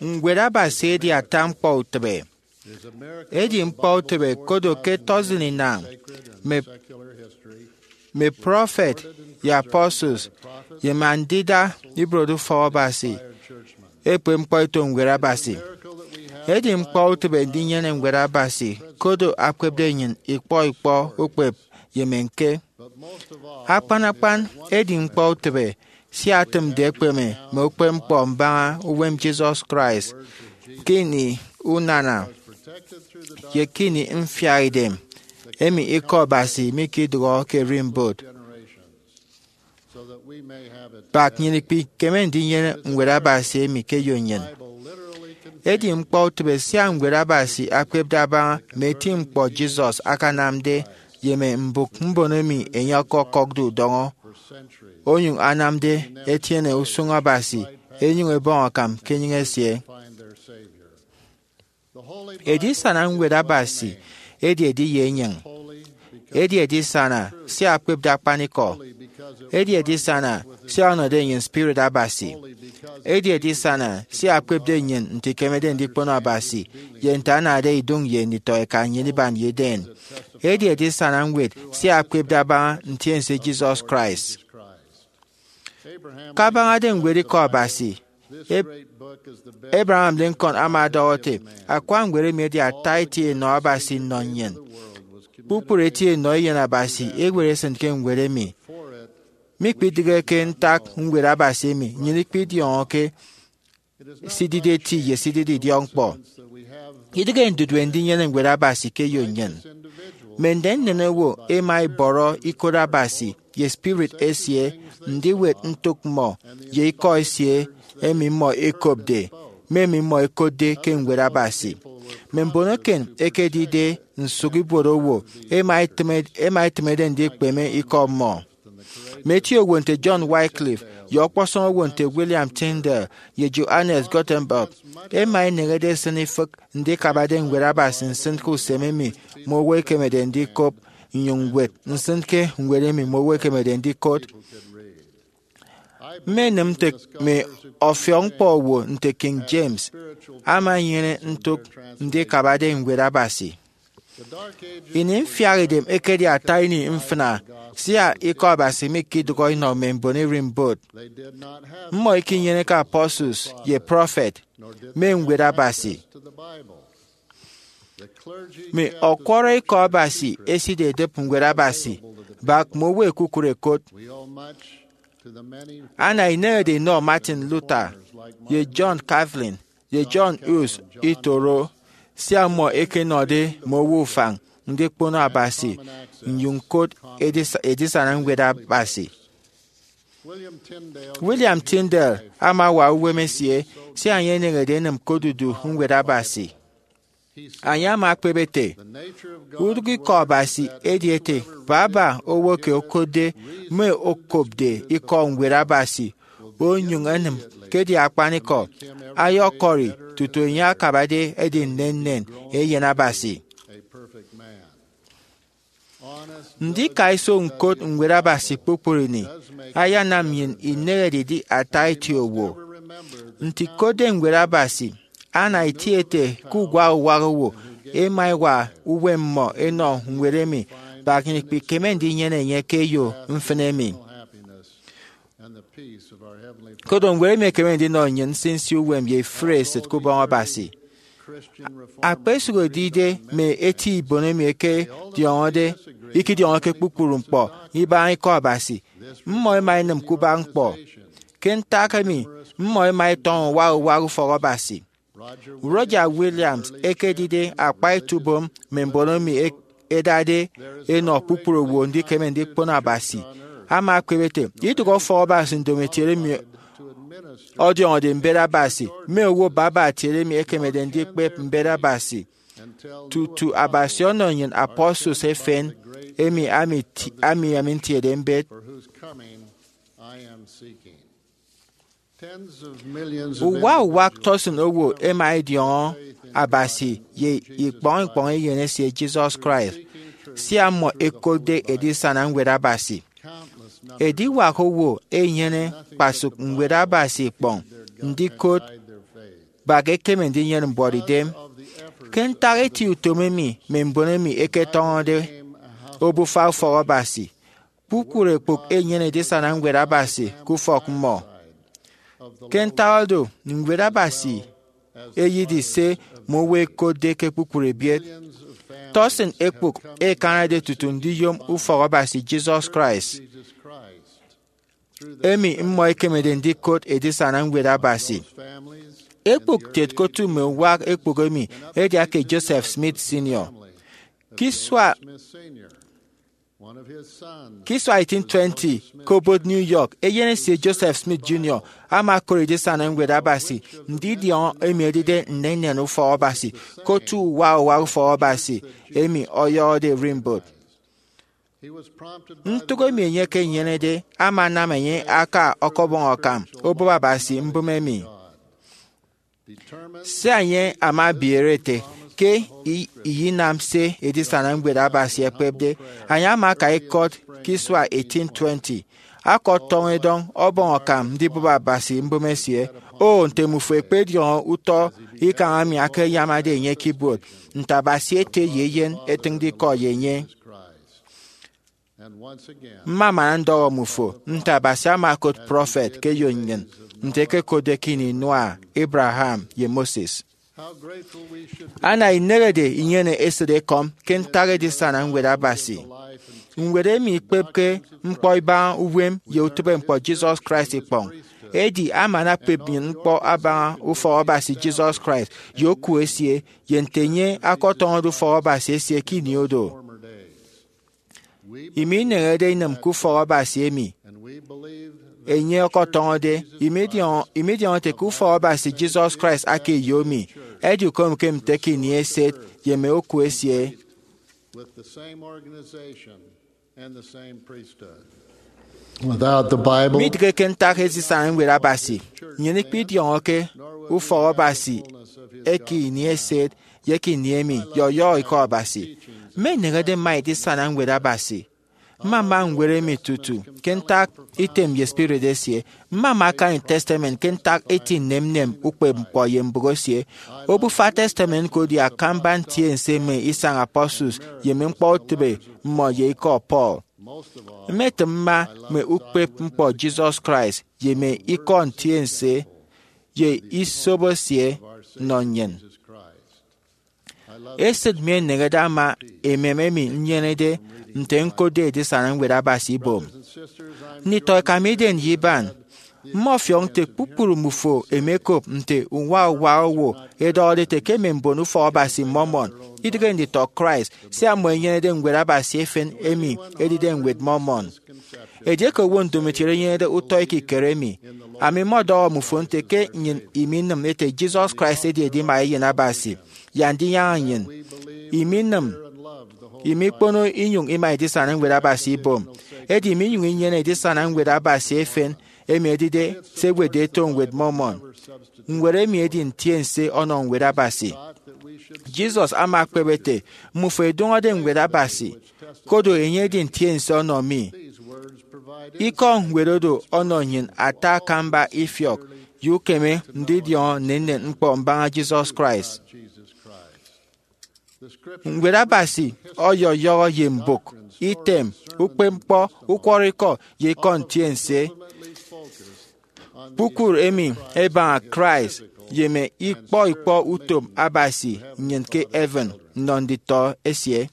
ñwed Abasi edi ata ñkpọ utịbe. Edi ñkpọ utịbe kodo ke tọsịn inañ, mme mme prọfet ye apostles, ye mme andida ibuot ufọk Abasi ekpep ñkpọ eto ñwed Abasi. Edi ñkpọ utịbe ndinyene ñwed Abasi kodo akpepde nnyịn ikpọ ikpọ ukpep ye mme ñke. Akpan akpan edi ñkpọ utịbe sia etịmde ekpeme mme ukpepñkpọ mbaña uwem Jesus Christ ke ini unana ye ke ini mfiaidem emi ikọ Abasi mikidụhọ ke ererimbot. Bak nnyịn ikpikeme ndinyene ñwed Abasi emi ke eyo nnyịn. Edi ñkpọ utịbe sia ñwed Abasi akpepde abaña mme eti ñkpọ Jesus akanamde ye mme mbụk mbon emi enye ọkọkọkde udọñọ, onyụñ anamde ẹtiene usụñ Abasi ẹnyụñ ẹbọñ akam ke enyịñ esie. Edisana ñwed Abasi edi ediye enyịñ. Edi edisana sia akpepde akpanikọ. Edi edisana sia ọnọde nnyịn Spirit Abasi. Edi edisana sia akpepde nnyịn nte ikemede ndikpono Abasi ye nte anade idụñ ye nditọeka nnyịn iban ye Eden. Edi edisana ñwed sia akpepde abaña ntiense Jesus Christ. Kabañade ñwed Ikọ Abasi, Ab- Abraham Lincoln ama ọdọhọ ete, akwa ñwed emi edi ata eti enọ Abasi nnọ nnyịn. Kpukpru eti enọ eyen Abasi ewet esịn ke ñwed emi. Mikpidịghe ke ntak ñwed Abasi emi, nnyịn ikpidiọñọke sidide eti ye sidide idiọkñkpọ. Idịghe ndudue ndinyene ñwed Abasi ke eyo nnyịn. Mme nnennen owo ẹma ẹbọrọ ikot Abasi ye spirit esie ndiwet ntụk mmọ ye ikọ esie emi mmọ ẹkopde, mme emi mmọ ẹkotde ke ñwed Abasi. Mme mbon eken ẹkedide nsụk ibuot owo ẹma ẹtịme- ẹma ẹtịmede ndikpeme ikọ mmọ. Mme eti owo nte John Wycliffe ye ọkpọsọñ owo nte William Tyndale ye Johannes Gutenberg ẹma ẹneñede ẹsịn ifịk ndikabade ñwed Abasi nsịn ke usem emi mme owo ẹkemede ndikop, nnyụñ ñwet nsịn ke ñwed emi mme owo ẹkemede ndikot. Mmenịm nte mme ọfiọkñkpọ owo nte King James ama enyene ntụk ndikabade ñwed Abasi. Ini mfiaha idem ekedi ata ini mfịna, sia Ikọ Abasi mikidụhọ inọ mme mbon ererimbot. Mmọ ikinyeneke apostles ye prophet, mme ñwed Abasi. Mme ọkwọrọ Ikọ Abasi ẹsida ẹdịp ñwed Abasi bak mme owo ẹkukụre ẹkot. Ana inehede inọ Martin Luther ye John Calvin ye John Hus itoro, sia mmọ ẹkenọde mme owo ufañ ndikpono Abasi nnyụñ ñkot edis- edisana ñwed Abasi. William Tyndale ama awa uwem esie sia enye eneñede enịm ke odudu ñwed Abasi. Enye ama ekpep ete, udụk Ikọ Abasi edi ete baba owo ke okotde mme okopde ikọ ñwed Abasi onyụñ enịm ke edi akpanikọ, ayọkọri tutu enye akabade edi nnennen eyen Abasi. Ndikaiso ñkot ñwed Abasi kpukpru ini ayanam nnyịn inehede idi ata eti owo. Nte ikotde ñwed Abasi, ana eti ete ke uwak uwak owo ẹma ẹwa uwem mmọ ẹnọ ñwed emi, bak nnyịn ikpikeme ndinyene enye ke eyo mfịn emi. Koro ñwed emi ekeme ndinọ nnyịn nsinsi uwem ye ifụre esịt ke Ubọñ Abasi. Akpesụk edide mme eti ibon emi ẹkediọñọde ikidiọñọke kpukpru ñkpọ ibaña Ikọ Abasi, mmọ ẹma ẹnịm ke ubak ñkpọ. Ke ntak emi, mmọ ẹma ẹtọñọ uwak uwak ufọk Abasi. Roger Williams ekedide akpa etubom mme mbon emi ẹdade ẹnọ kpukpru owo ndikeme ndikpono Abasi ama ekpep ete, idụhe ufọk Abasi ndomokiet emi ọdiọñọde mbet Abasi, mme owo baba kiet emi ẹkemede ndikpep mbet Abasi, tutu Abasi ọnọ nnyịn apostles efen emi ami ti- ami ami ntiede mbet. Uwa uwak tọsịn owo ẹma ẹdiọñọ Abasi ye ikpọñ ikpọñ eyen esie Jesus Christ, sia mmọ ẹkotde edisana ñwed Abasi. Ediwak owo ẹnyene kpasụk ñwed Abasi ikpọñ ndikot bak ekeme ndinyene mbuọtidem. Ke ntak eti utom emi mme mbon emi ẹketọñọde obufa ufọk Abasi, kpukpru ekpụk enyene edisana ñwed Abasi ke ufọk mmọ. Ke ntak oro, ñwed Abasi eyedi se mme owo ẹkotde ke kpukpru ebiet. Tọsịn ekpụk ẹkanade tutu ndiyom ufọk Abasi Jesus Christ, emi mmọ ẹkemede ndikot edisana ñwed Abasi. Ekpụk kiet ke otu mme uwak ekpụk emi edi ake Joseph Smith Senior. Ke isua Ke isua eighteen twenty, ke obot New York, eyen esie Joseph Smith Junior ama okot edisana ñwed Abasi ndidiọñọ emi edide nnennen ufọk Abasi ke otu uwa uwa ufọk Abasi emi ọyọhọde ererimbot. Ntụk emi enye ekenyenede ama anam enye aka ọkọbọñ akam obụp Abasi mbụme emi. Sia enye ama abiere ete ke i- iyinam se edisana ñwed Abasi ekpepde, enye ama aka ikọt ke isua eighteen twenty. akọtọñọ edọñ ọbọñ akam ndibụp Abasi mbụme esie. O, nte mmufo ẹkpediọñọ utọ ikañ emi akayamade enye ke ibuot, nte Abasi Ete ye Eyen ẹtịñde ikọ ye enye! Mmamana ndọhọ mmufo nte Abasi ama okot prọfet ke eyo nnyịn, nte ekekotde ke ini Noah, Abraham, ye Moses. Ana inehede inyene esịt ekọm ke ntak edisana Ñwed Abasi. Ñwed emi ikpepke ñkpọ ibaña uwem ye utịbeñkpọ Jesus Christ ikpọñ. Edi aman akpep nnyịn ñkpọ abaña ufọk Abasi Jesus Christ ye oku esie, ye nte enye akọtọñọde ufọk Abasi esie ke ini oro. Imi ineñede inịm ke ufọk Abasi emi enye ọkọtọñọde. Imi idiọñọ ete ke ufọk Abasi Jesus Christ aka eyo mi, edi ukomoke nte ke ini eset ye mme oku esie. Midịghe ke ntak edisana Ñwed Abasi, nnyịn ikpidiọñọke ufọk Abasi eke ini eset ye eke ini emi ye ọyọhọ Ikọ Abasi. Mma ineñede mma edisana Ñwed Abasi. Mmama ñwed emi tutu ke ntak item ye spirit esie. Mmama akañ Testament ke ntak eti nnemnem ukpepñkpọ ye mbụk esie. Obufa Testament ñko edi akamba ntiense mme isañ apostles ye mme ñkpọ utịbe mmọ ye ikọ Paul. Mmetịm mma mme ukpepñkpọ Jesus Christ ye mme ikọ ntiense ye isobo esie nnọ nnyịn. Esịt mi eneñede ama emem emi nnyenede nte ñkotde edisana Ñwed Abasi ibom. Nditọ ẹkamide ye iban, mmọfiọk nte kpukpru mmufo ẹmekop nte uwa uwa owo ẹdọhọde ẹte ke mme mbon ufọk Abasi Mormon idịghe nditọ Christ, sia mmọ ẹnyenede Ñwed Abasi efen emi edide Ñwed Mormon. Edieke owo ndomokiet enyenede utọ ekikere emi, ami mmọdọhọ mmufo nte ke nnyịn iminịm ete Jesus Christ edi edima eyen Abasi ye Andinyaña nnyịn. Iminịm, imikpono inyụñ ima edisana Ñwed Abasi ibom. Edi iminyụñ inyene edisana Ñwed Abasi efen emi edide se ẹwetde ẹto Ñwed Mormon. Ñwed emi edi ntiense ọnọ Ñwed Abasi. Jesus ama ekpep ete, mmufo ẹdụñọde Ñwed Abasi, koro enye edi ntiense ọnọ mi. Ikọ ñwed oro ọnọ nnyịn ata akamba ifiọk ye ukeme ndidiọñọ nnennen ñkpọ mbaña Jesus Christ. Ñwed Abasi ọyọyọhọ ye mbụk, item, ukpepñkpọ, ukwọrọikọ, ye ikọ ntiense kpukpru emi ẹbaña Christ ye mme ikpọ ikpọ utom Abasi nnyịn ke heaven nnọ nditọ esie.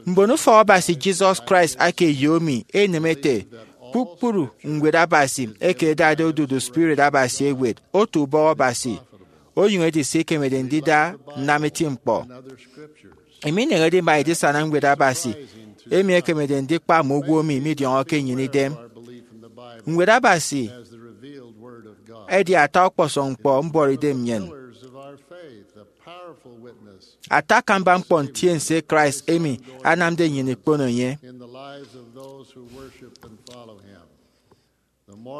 Mbonufọk Abasi Jesus Christ aka eyo mi enịm ete kpukpru Ñwed Abasi eke ẹdade odudu Spirit Abasi ẹwet oto ubọk Abasi, onyụñ edi se ikemede ndida nnam eti ñkpọ. Emi ineñede ima edisana Ñwed Abasi emi ekemede ndikpa mme owo emi midiọñọke nnyịn idem. Ñwed Abasi edi ata ọkpọsọñ ñkpọ mbuọtidem nnyịn, ata akamba ñkpọ ntiense Christ emi anamde nnyịn ikpono enye.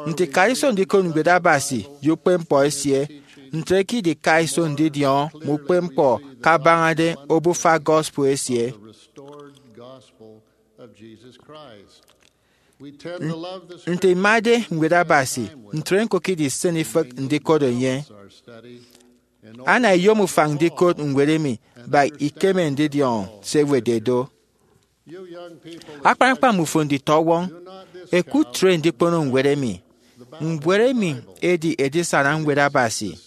Nte ikaiso ndikot Ñwed Abasi ye ukpepñkpọ esie, ntre ke idikaiso ndidiọñọ mme ukpepñkpọ kabañade obufa gospel esie. Nte imade Ñwed Abasi, ntre ñko ke idisịn ifịk ndikot enye. Ana iyom ufañ ndikot ñwed emi, bak ikeme ndidiọñọ se ẹwetde do. Akpan akpan mmufo nditọwọñ, ẹkụtre ndikpono ñwed emi. Ñwed emi edi edisana Ñwed Abasi.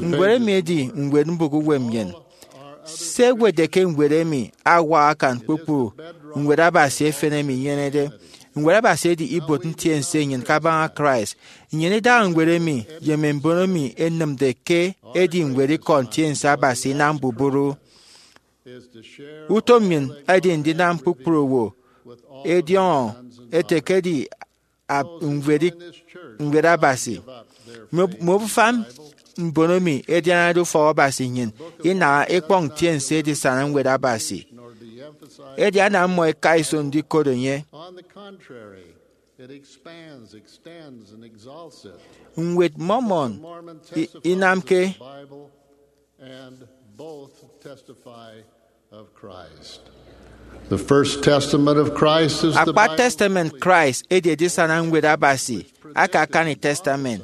Ñwed emi edi ñwed mbụk uwem nnyịn. Se ẹwetde ke ñwed emi awak akan kpukpru Ñwed Abasi efen emi inyenede. Ñwed Abasi edi ibuot ntiense nnyịn kabaña Christ. Nnyịn idaha ñwed emi ye mme mbon emi ẹnịmde ke edi ñwed ikọ ntiense Abasi inam mbubru. Utom nnyịn edi ndinam kpukpru owo ẹdiọñọ ẹte ke edi ñwed Abasi. Mme obufa mbon emi ẹdianade ufọk Abasi nnyịn inaha ikpọñ ntiense edisana Ñwed Abasi. Edi ana mmọ ẹka iso ndikot enye. Ñwed Mormon inamke of Christ. The First Testament of Christ is the Akpa Bible. Testament Christ edi Edisana Ñwed Abasi aka akani testament,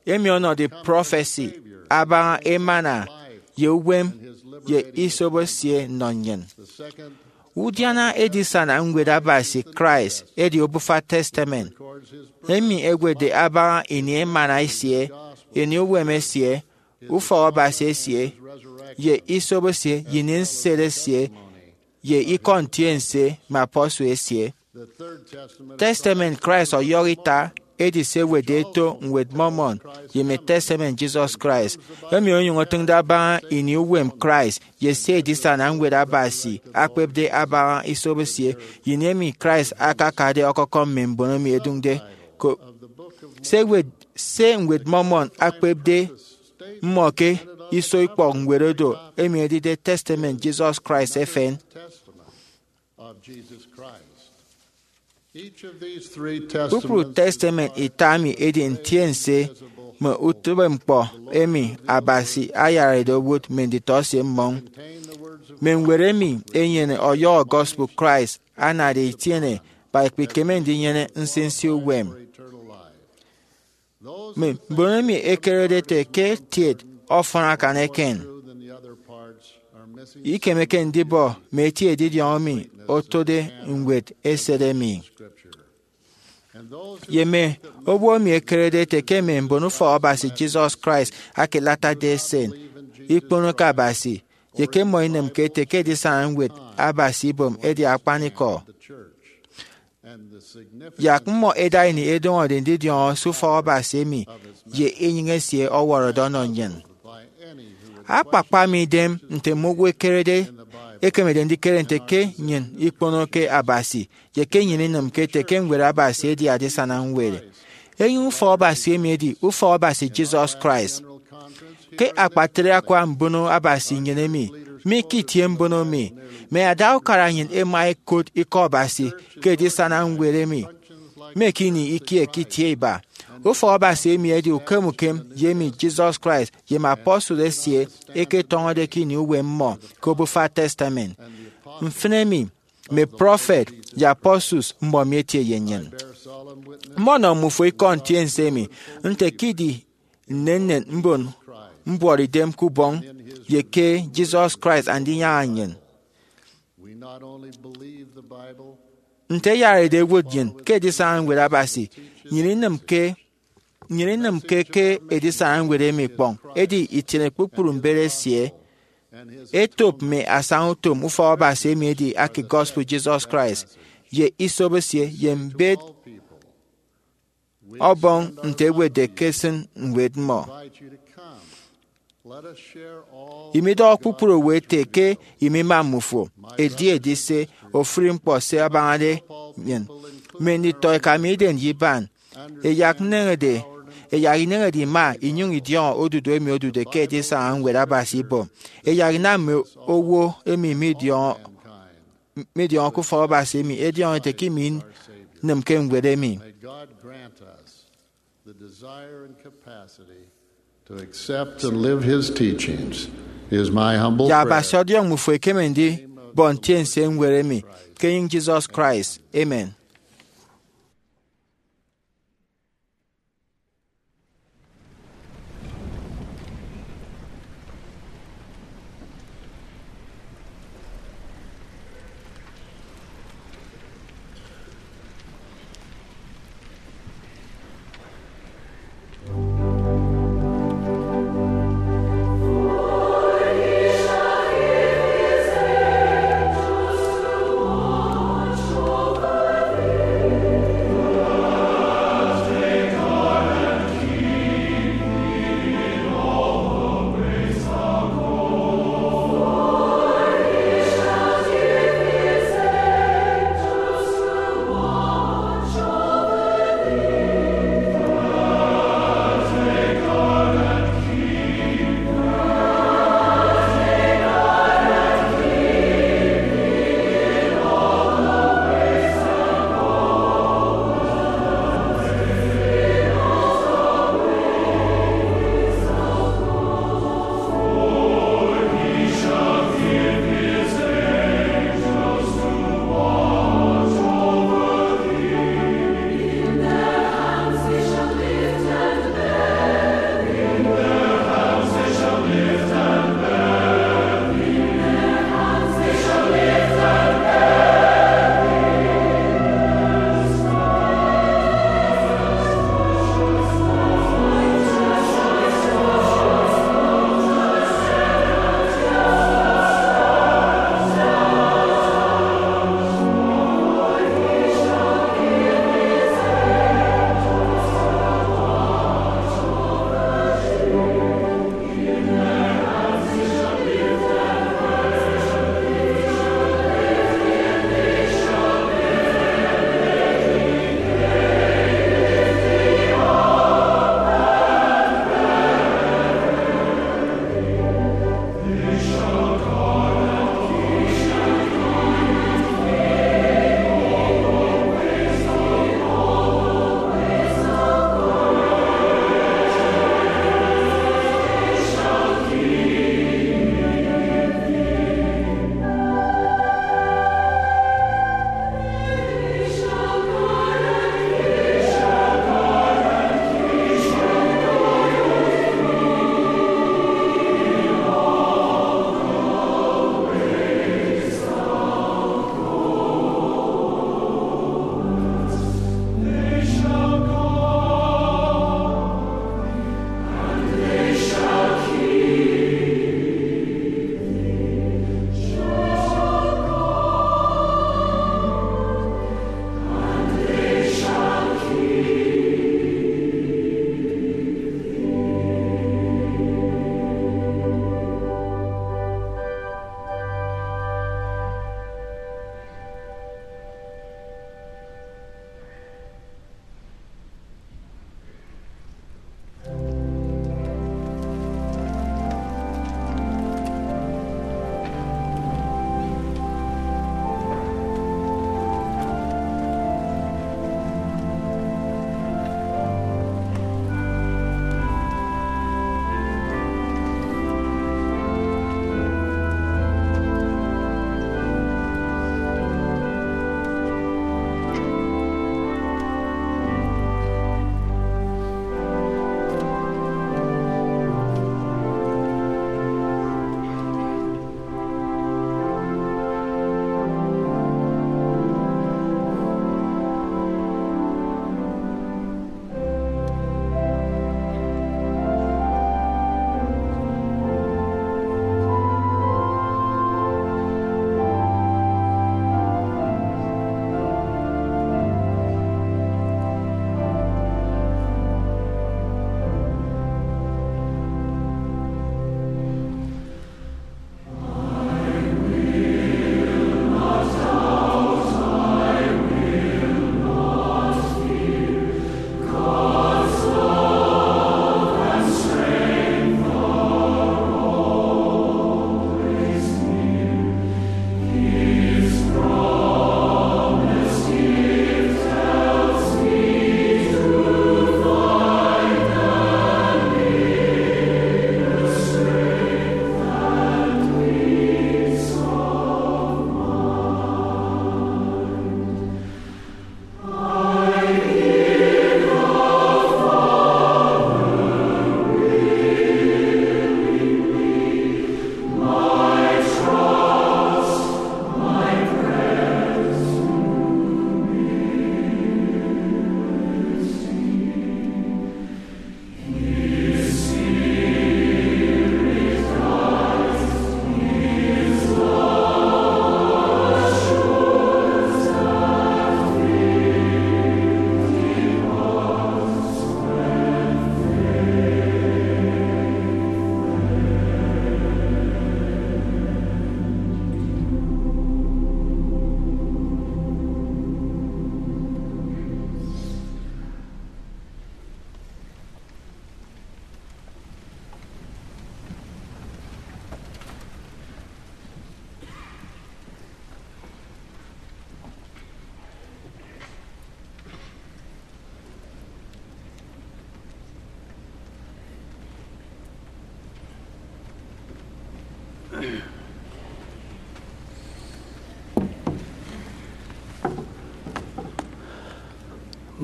emi ọnọde prọfesi abaña emana ye uwem ye isobo esie nnọ nnyịn. Udiana Edisana Ñwed Abasi Christ edi Obufa Testament, emi ewetde abaña ini emana esie, ini uwem esie, ufọk Abasi esie, ye isobo esie, ye ini nsed esie, ye ikọ ntiense mme apostle esie. Testament Christ ọyọhọ ita edi se ewetde eto Ñwed Mormon ye mme Testament Jesus Christ, emi onyụñ otịñde abaña ini uwem Christ ye se Edisana Ñwed Abasi akpepde abaña isobo esie, ye ini emi Christ akakade ọkọkọm mme mbon emi ẹdụñde ko. Se ewet, se Ñwed Mormon akpepde mmọ ke iso ikpọk ñwed odo, emi edide Testament Jesus Christ efen. Kpukpru testament ita emi edi ntiense mme utịbeñkpọ emi Abasi ayarade owụt mme nditọesie mmọñ. Mme ñwed emi enyene ọyọhọ gospel Christ anade itiene ba ikpikeme ndinyene nsinsi uwem. Mme mbon emi ẹkerede ẹte ke tiet ọfọn akan eken ikemeke ndibọ mme eti edidiọñ emi otode ñwed eset emi. Ye mme owo emi ẹkerede ẹte ke mme mbon ufọk Abasi Jesus Christ ake Latter-day Saint ikponoke Abasi, ye ke mmọ inịmke ẹte ke Edisana Ñwed Abasi ibom edi akpanikọ. Yak mmọ ẹda ini ẹdọñọde ndidiọñọ se ufọk Abasi emi ye enyịñ esie ọwọrọde ọnọ nnyịn. Akpakpa mi idem nte mme owo ẹkerede ẹkemede ndikere nte ke nnyịn ikponoke Abasi, ye ke nnyịn inịmke ẹte ke Ñwed Abasi edi adisana ñwed. Enyịñ ufọk Abasi emi edi ufọk Abasi Jesus Christ. Ke akpatre akwa mbono Abasi nnyịn emi, mi ke itie mbono mi, mme ada ukara nnyịn ẹma ẹkot ikọ Abasi ke edisana ñwed emi, mme ke ini ikie ke itie iba. Ufọk Abasi emi edi ukem ukem ye emi Jesus Christ ye mme apostle esie ẹketọñọde ke ini uwem mmọ ke Obufa Testament. Mfịn emi, mme prophet ye apostles mmọ mi etie ye nnyịn. Mmọnọ mmufo ikọ ntiense emi nte ke idi nnennen mbon mbuọtidem ke ubọñ ye ke Jesus Christ Andinyaña nnyịn. Nte ẹyarade ẹwụt nnyịn ke edisana ñwed Abasi, nnyịn inịmke, nnyịn inịmke ke edisana ñwed emi ikpọñ, edi itiene kpukpru mbet esie, etop mme asañautom ufọk Abasi emi edi ake gospel Jesus Christ, ye isobo esie, ye mbet Ọbọñ nte ewetde ke esịn ñwed mmọ. Imidọhọ kpukpru owo ete ke imima mmufo, edi edi se ofụri ñkpọ se abañade nnyịn. Mme nditọeka mi idem ye iban, ẹyak nneñede, ẹyak ineñede ima inyụñ idiọñọ odudu emi odude ke edisana ñwed Abasi ibom. Ẹyak inam mme owo emi midiọñọ midiọñọ ke ufọk Abasi emi ẹdiọñọ ẹte ke iminem ke ñwed emi. May God grant us the desire and capacity to accept and live his teachings is my humble prayer. Ya Abasi ọdiọñ mmufo ẹkeme ndibọ ntiense ñwed emi ke enyịñ Jesus Christ. Amen.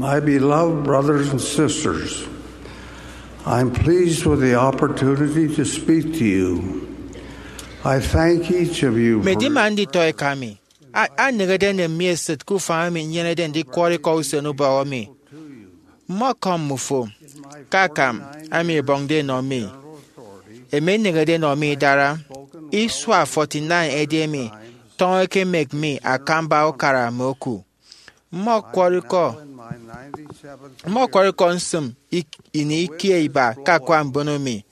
My beloved brothers and sisters, I'm pleased with the opportunity to speak to you. I thank each of you for Midima nditọ eka mi, a- anehede enem mi esịt ke ufañ emi nnyenede ndikwọrọ ikọ usen ubọhọ mi. Mmọkọm mmufo ke akam emi ebọñde enọ mi, emi enehede enọ mi idara isua forty-nine edi emi tọñọ ekemek mi akamba ukara mme oku. Mmọkwọrọ ikọ mmọkwọrọ ikọ nsịm ik- ini ikie iba ke akwa mbono mi.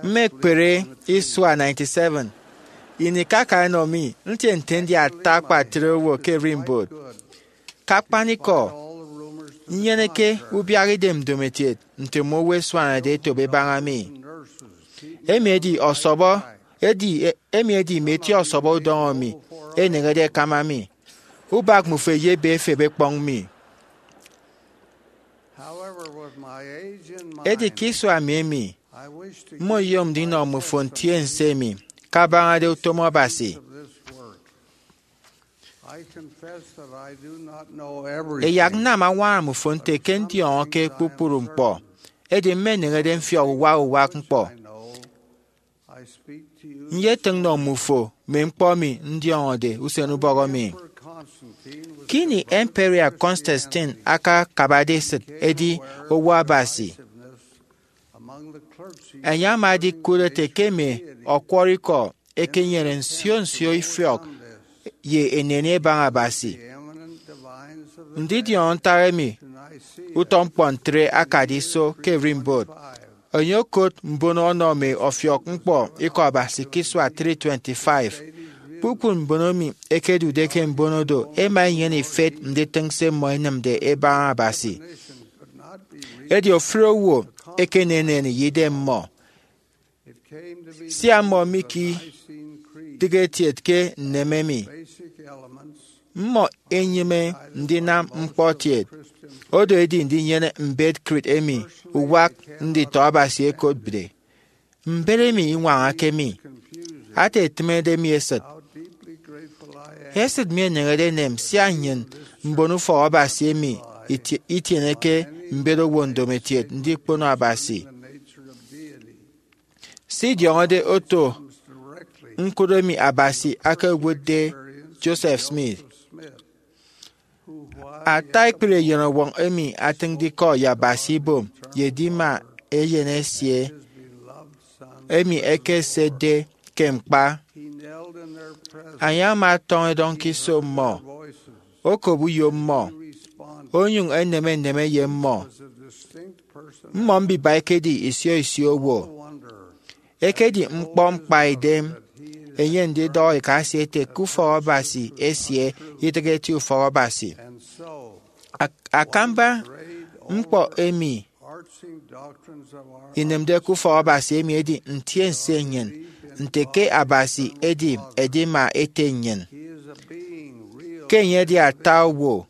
Mmekpere isua ninety-seven ini ke aka enọ mi ntie nte ndi ata akpatre owo ke erimbot. Ke akpanikọ, nnyeneke ubiak idem ndomokiet nte mme owo ẹsuanade ẹtobo ẹbaña mi. Emi edi ọsọbọ edi emi edi mme eti ọsọbọ udọñọ mi ẹneñede ẹkama mi. Ubak mmufo eyebe efep ekpọñ mi. Edi ke isua mi emi, mmọ iyom ndinọ mmufo ntiense emi kabañade utom Abasi. Eyak nnam añwaña mmufo nte ke ndiọñọke kpukpru ñkpọ, edi mmeneñede mfiọk uwak uwak ñkpọ. Nyetịñ nnọ mmufo mme ñkpọ emi ndiọñọde usen ubọhọ mi. Ke ini Emperor Constantine akakabade esịt edi owo Abasi, enye ama edikụt ete ke mme ọkwọrọ ikọ ekenyene nsio nsio ifiọk ye eneni ebaña Abasi. Ndidiọñọ ntak emi utọ ñkpọ ntre akade iso ke erimbot. Enye okot mbono ọnọ mme ọfiọk ñkpọ ikọ Abasi ke isua three twenty-five. Kpukpru mbono emi ẹkedude ke mbono do ẹma ẹnyene ifet nditịñ se mmọ ẹnịmde ẹbaña Abasi. Edi ofụri owo ekeneneni ye idem mmọ. Sia mmọ mikidịghe kiet ke nneme emi, mmọ enyịme ndinam ñkpọ kiet, odo edi ndinyene mbet creed emi uwak nditọ Abasi ẹkotde. Mbet emi iñwañake mi, ata etịmede mi esịt. Esịt mi eneñede enem sia nnyịn mbon ufọk Abasi emi itie- itieneke mbet owo ndomokiet ndikpono Abasi. Sidiọñọde oto ñkụt emi Abasi akewotde Joseph Smith. Ata ekpri eyenọwọñ emi atịñde ikọ ye Abasi ibom ye edima eyen esie emi ekesetde ke ñkpa. Enye ama ọtọñọ edọñ ke iso mmọ, okop uyo mmọ, onyụñ eneme nneme ye mmọ. Mmọ mbiba ẹkedi isio isio owo. Ekedi ñkpọ ñkpaidem enye ndidọhọ eka esie ete ke ufọk Abasi esie idịghe eti ufọk Abasi. Ak- akamba ñkpọ emi inịmde ke ufọk Abasi emi edi ntiense nnyịn nte ke Abasi edi edima ete nnyịn, ke enye edi ata owo.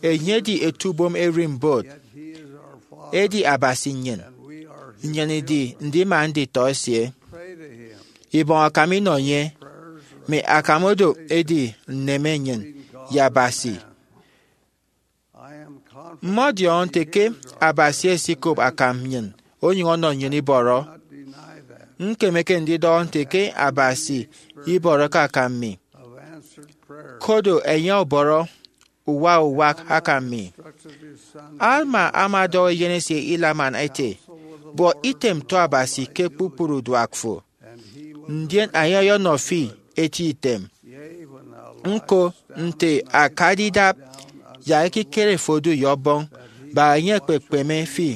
Enye edi etubom erimbot, edi Abasi nnyịn, nnyịn idi ndima nditọ esie. Ibọñ akam inọ enye, mme akam odo edi nneme nnyịn ye Abasi. Mmọdiọñọ nte ke Abasi esikop akam nnyịn onyụñ ọnọ nnyịn ibọrọ. Ñkemeke ndidọhọ nte ke Abasi ibọrọke akam mi. Kodo enye ọbọrọ uwak uwak akam mi. Alma ama ọdọhọ eyen esie Helaman ete, buọ item tọ Abasi ke kpukpru uduak fo, ndien enye ọyọnọ fi eti item. Ñko, nte akade idap, yak ekikere fo odu ye Ọbọñ, bak enye ekpekpeme fi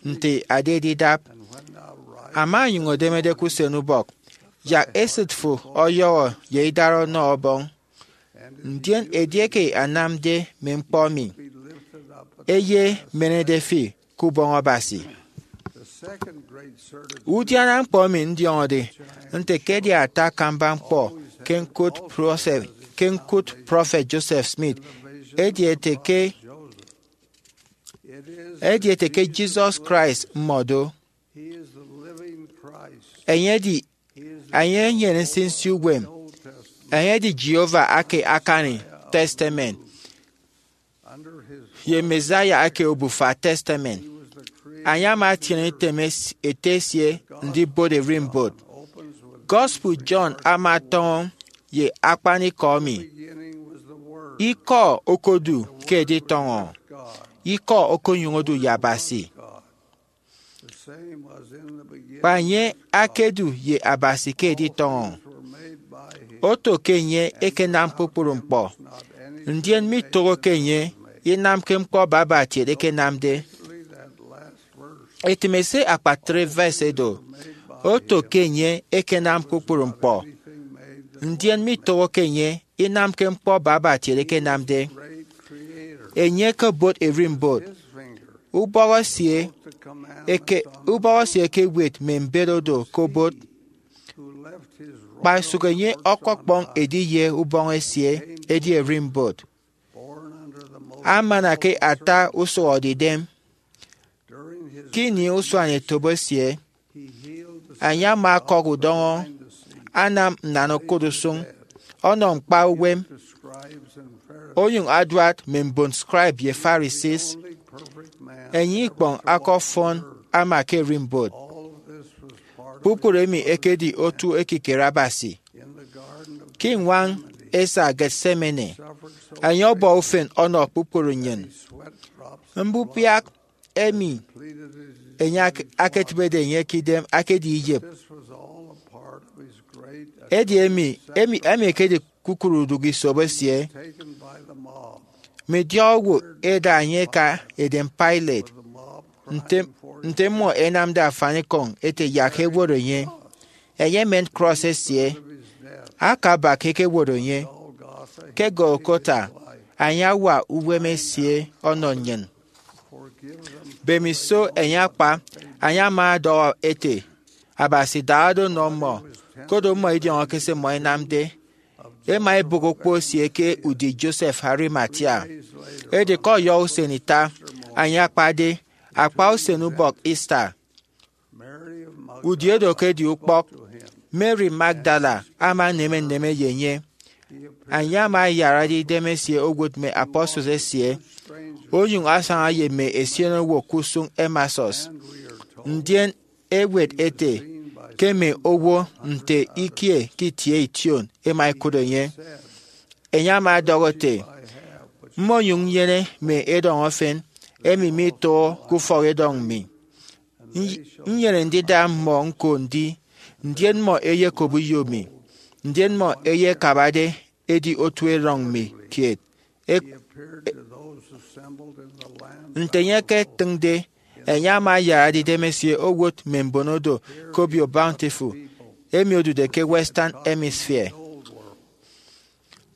nte adade idap. Ama onyụñ odemede ke usen ubọk, yak esịt fo ọyọhọ ye idara ọnọ Ọbọñ. Ndien edieke anamde mme ñkpọ emi, eyemenede fi ke ubọñ Abasi. Udiana ñkpọ emi ndiọñọde nte ke edi ata akamba ñkpọ ke ñkụt prọfet, ke ñkụt prọfet Joseph Smith, edi ete ke edi ete ke Jesus Christ mmọdo. Enye edi enye enyene nsinsi uwem. Enye edi Jehovah ake akani testament. ye Messiah eke Obufa Testament. Enye ama atiene item es- Ete esie ndibot erimbot. Gospel John ama ọtọñọ ye akpanikọ emi: Ikọ okodu ke editọñọ, Ikọ okonyụñ odu ye Abasi. Kpa enye akedu ye Abasi ke editọñọ. Oto ke enye ekenam kpukpru ñkpọ, ndien mitoho ke enye inamke ñkpọ babatiet ekenamde. Etịme se akpatre verse edo: Oto ke enye ekenam kpukpru ñkpọ, ndien mitoho ke enye inamke ñkpọ babatiet ekenamde. Enye ekebot erimbot, ubọhọ esie eke ubọhọ esie ekewet mme mbet odo ke obot, kpa sụk enye ọkọkpọñ ediye ubọñ esie edi erimbot. Amana ke ata usụhọdeidem. Ke ini usuanetop esie, enye ama ọkọk udọñọ, anam nnan okụt usụñ, ọnọ ñkpa uwem, onyụñ aduat mme mbon scribe ye Pharisees. Enye ikpọñ aka ọfọn ama ke erimbot. Kpukpru emi ekedi otu ekikere Abasi. Ke iñwañ esa Gethsemane, enye ọbọ ufen ọnọ kpukpru nnyịn. Mbubiak emi enye ak- aketịbede enye ke idem akedi iyịp. Edi emi emi emi ekedi kukụre udụk isop esie. Midiọk owo eda enye eka edem Pilate, nte nte mmọ ẹnamde afanikọñ ete yak ẹwot enye. Enye emen krọs esie, akabak ekewot enye. Ke Golgotha, enye awa uwem esie ọnọ nnyịn. Mbemiso enye akpa, enye ama ọdọhọ ete, Abasi, dahado nọ mmọ, koro mmọ idiọñọke se mmọ ẹnamde. Ẹma ẹbụk okpo esie ke udi Joseph Arimathea. Edi ke ọyọhọ usen ita, enye akpade, akpa usen ubọk Easter, udi edo ke edi ukpọk, Mary Magdala ama eneme nneme ye enye. Enye ama ayarade idemesie owụt mme apostles esie, onyụñ asaña ye mme esien owo ke usụñ Emasus. Ndien ewet ete ke mme owo nte ikie ke itie ition ẹma ẹkụt enye. Enye ama ọdọhọ ete, Mmonyụñ nnyene mme edọñ efen emi mitoho ke ufọk edọñ mi. Nny- Nnyene ndida mmọ ñko ndi, ndien mmọ eyekop uyo mi, ndien mmọ eyekabade edi otuerọñ mi kiet. Ek- Nte enye eketịñde, enye ama ayarade idemesie owụt mme mbon odo ke obio Bountiful, emi odude ke Western Hemisphere.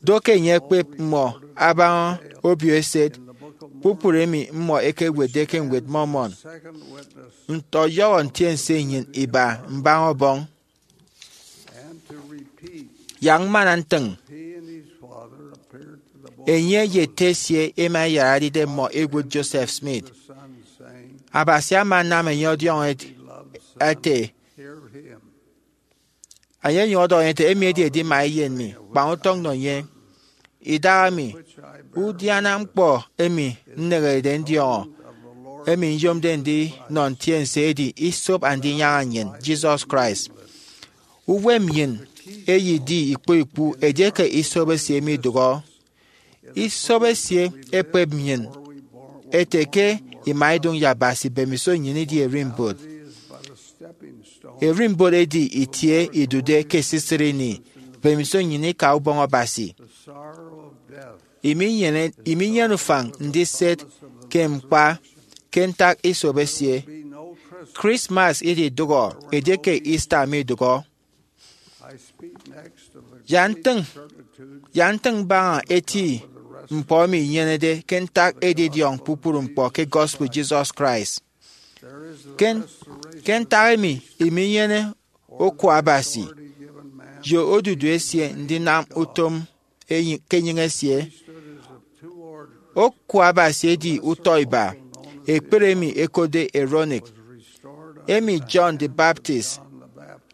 Do ke enye ekpep mmọ abaña obio eset, kpukpru emi mmọ ẹkewetde ke Ñwed Mormon. Nte ọyọhọ ntiense nnyịn iba mbaña ọbọñ. Yak mmana ntịñ, enye ye ete esie ẹma ẹyarade idem mmọ ẹwot Joseph Smith. Abasi ama anam enye ọdiọñọ ete, enye enyụñ ọdọhọ enye ete, Emi edi edima eyen mi, kpañ utọñ nọ enye. Idahaemi, udiana ñkpọ emi nneñerede ndiọñọ, emi nyomde ndinọ ntiense, edi isop Andinyaña nnyịn, Jesus Christ. Uwem nnyịn eyedi ikpu ikpu edieke isop esie midụhọ. Isop esie ekpep nnyịn ete ke ima idụñ ye Abasi mbemiso nnyịn idi erimbot. Erimbot edi itie idude ke esisịt ini, mbemiso nnyịn ika ubọñ Abasi. Iminyene, iminyene ufañ ndiset ke ñkpa ke ntak isop esie. Christmas ididụhọ edieke Easter midụhọ. Ya ntịñ, ya ntịñ baña eti ñkpọ emi inyenede ke ntak edidiọñ kpukpru ñkpọ ke gospel Jesus Christ. Ke, ke ntak emi iminyene oku Abasi ye odudu esie ndinam utom enyi- ke enyịñ esie. Oku Abasi edi utọ iba, ekpere emi ẹkotde Aaronic, emi John the Baptist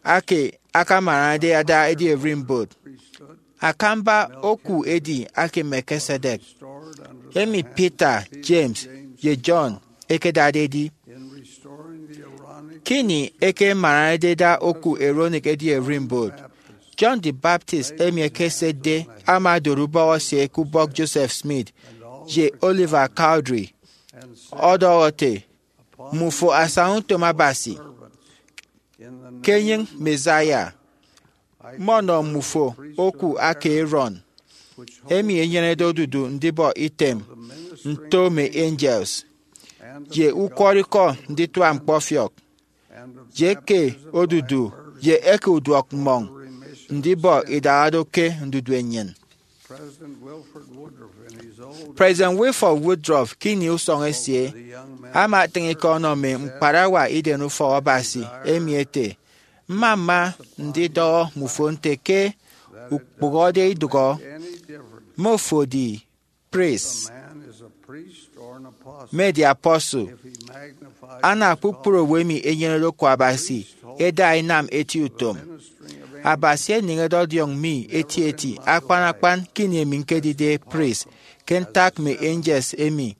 ake akamañade ada edi erimbot. Akamba oku edi ake Melchizedek. emi Peter, James, ye John ẹkedade edi. Ke ini ẹkemaranede ẹda oku Aaronic edi ererimbot, John the Baptist emi ekesetde ama odoro ubọhọ esie ke ubọk Joseph Smith ye Oliver Cowdery, ọdọhọ ete, Mmufo asaña utom Abasi. Ke enyịñ Messiah, mmọnọ mmufo oku aka Aaron, emi enyenede odudu ndibọ item nto mme angels, ye ukwọrọikọ nditua ñkpọfiọk, ye eke odudu ye eke uduọk mmọñ ndibọ idara do ke ndudu enyịn. President Wilford Woodruff ke ini usọñ esie ama atịñ ikọ ọnọ mme ñkparawa Iden Ufọk Abasi emi ete, Mma mma ndidọhọ mmufo nte ke ukpụhọde idụhọ, mme ofo edi priest, mme edi apostle, ana kpukpru owo emi enyenede oku Abasi eda inam eti utom. Abasi eneñede ọdiọñ mi etieti akpan akpan ke ini emi ñkedide priest ke ntak mme angels emi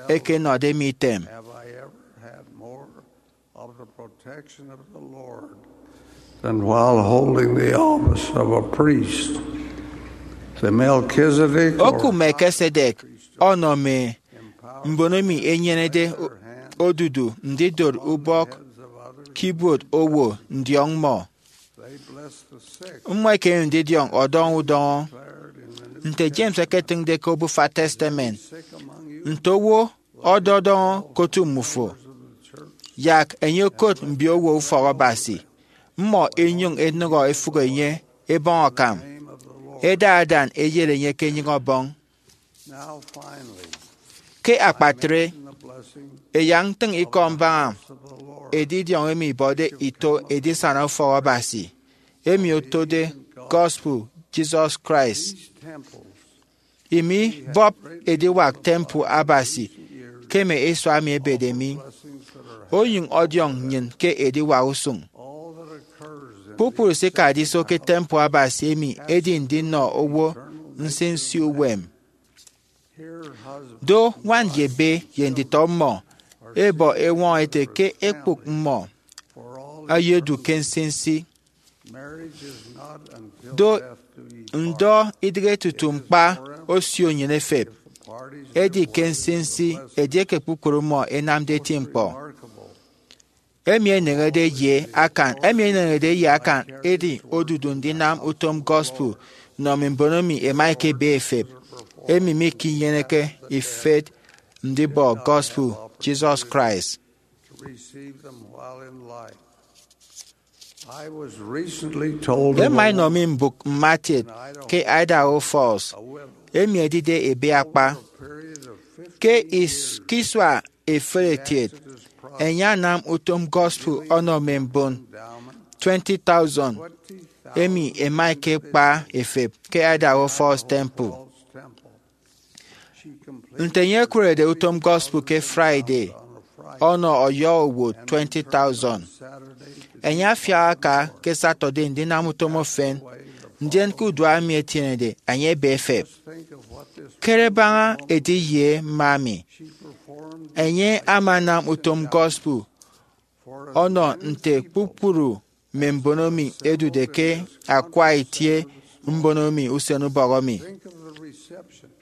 ẹkenọde mi item. Than while holding the office of a priest. The Melchizedek. Oku Melchizedek ọnọ mme mbon emi enyenede odudu ndidot ubọk ke ibuot owo ndiọñ mmọ. Mmọ ẹkeme ndidiọñ ọdọñọ udọñọ. Nte James eketịñde ke Obufa Testament, nte owo ọdọdọñọ ke otu mmufo, yak enye okot mbiowo ufọk Abasi, mmọ ẹnyụñ ẹnọhọ ẹfụk enye ẹbọñ akam, ẹda adan ẹyet enye ke enyịñ ọbọñ. Ke akpatre, ẹyak ntịñ ikọ mbaña edidiọñ emi ibọde ito edisana ufọk Abasi, emi otode gospel Jesus Christ. Imibọp ediwak temple Abasi ke mme isua emi ẹbede mi, onyụñ ọdiọñ nnyịn ke ediwak usụñ. Kpukpru se ikade iso ke temple Abasi emi edi ndinọ owo nsinsi uwem. Do ñwan ye ebe ye nditọ mmọ ẹbọ eñwọñọ ete ke ekpụk mmọ ẹyedu ke nsinsi. Do ndọ idịghe tutu ñkpa osio nnyịn efep. Edi ke nsinsi edieke kpukpru mmọ ẹnamde eti ñkpọ. Emi eneñede ye akan emi eneñede ye akan edi odudu ndinam utom gospel nnọ mme mbon emi ẹma ẹkebe ẹfep, emi mikinyeneke ifet ndibọ gospel Jesus Christ. Ema inọ mi mbụk mmatiet ke Idaho Falls, emi edide ebe akpa. Ke isua eferetiet, enye anam utom gospel ọnọ mme mbon twenty thousand emi ẹma ẹkekpa ẹfep ke Idaho Falls Temple. Nte enye ekụrede utom gospel ke Friday ọnọ ọyọhọ owo twenty thousand, enye afiak aka ke Saturday ndinam utom efen, ndien ke uduak emi etienede, enye ebe efep. Kere baña ediye mme ami. Enye ama anam utom gospel ọnọ nte kpukpru mme mbon emi ẹdude ke akwa itie mbon emi usenubọk emi.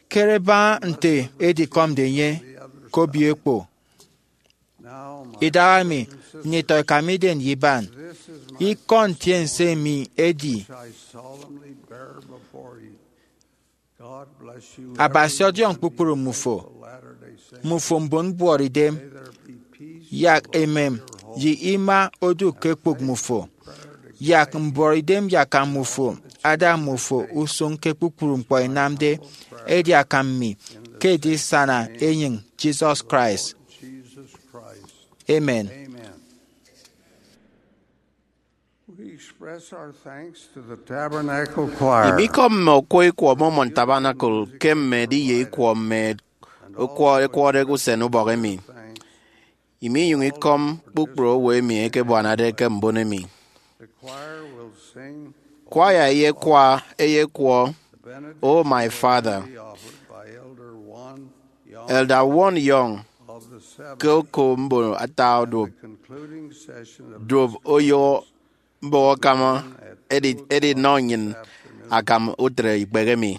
Kere baña nte edikọmde enye ke obio ekpo. Idaha mi, nditọ ẹkamide ndiban, ikọ ntiense mi edi. Abasi ọdiọñ kpukpru mmufo, mmufo mbon mbuọtidem. Yak emem ye ima odu ke ekpụk mmufo. Yak mbuọtidem ye akam mmufo ada mmufo usụñ ke kpukpru ñkpọ inamde edi akam mi ke edisana enyịñ Jesus Christ. Amen. Imikọm mme okwọ ikwọ Mormon Tabernacle ke mme ediye ikwọ mme okwọ ẹkwọde usen ubọk emi. Iminyụñ ikọm kpukpru owo emi ẹkebuanade ke mbon emi. Kwaya eyekwa eyekwọ O My Father, Elder Won Young ke oko mbono ata oduop duop oyụhọ mbọhọkama edi edinọ nnyịn akam utre ikpehe mi.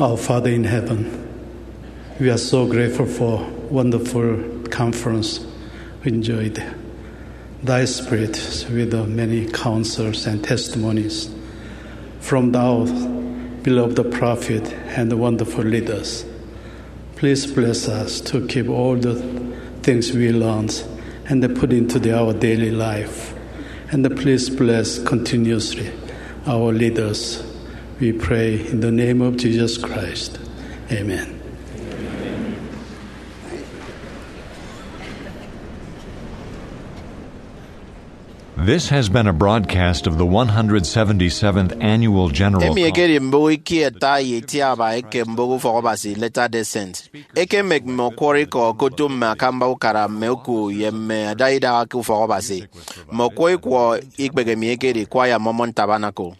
Our Father in heaven, we are so grateful for wonderful conference we enjoyed. Thy Spirit with the many counsels and testimonies from thou beloved prophet and wonderful leaders. Please bless us to keep all the things we learned and put into the, our daily life. And please bless continuously our leaders. We pray in the name of Jesus Christ. Amen. This has been a broadcast of the one hundred seventy-seventh Annual General Emi Conference. Ekedi mbụk ikie ata ye itiaba eke mbụk Ufọk Abasi, Latter-day Saint. Ekemek mme ọkwọrọ ikọ okotu mme akamba ukara, mme oku, ye mme adaidaha ke Ufọk Abasi. Mme ọkwọ ikwọ ikpehe mi ekedi Choir Mormon Tabernacle.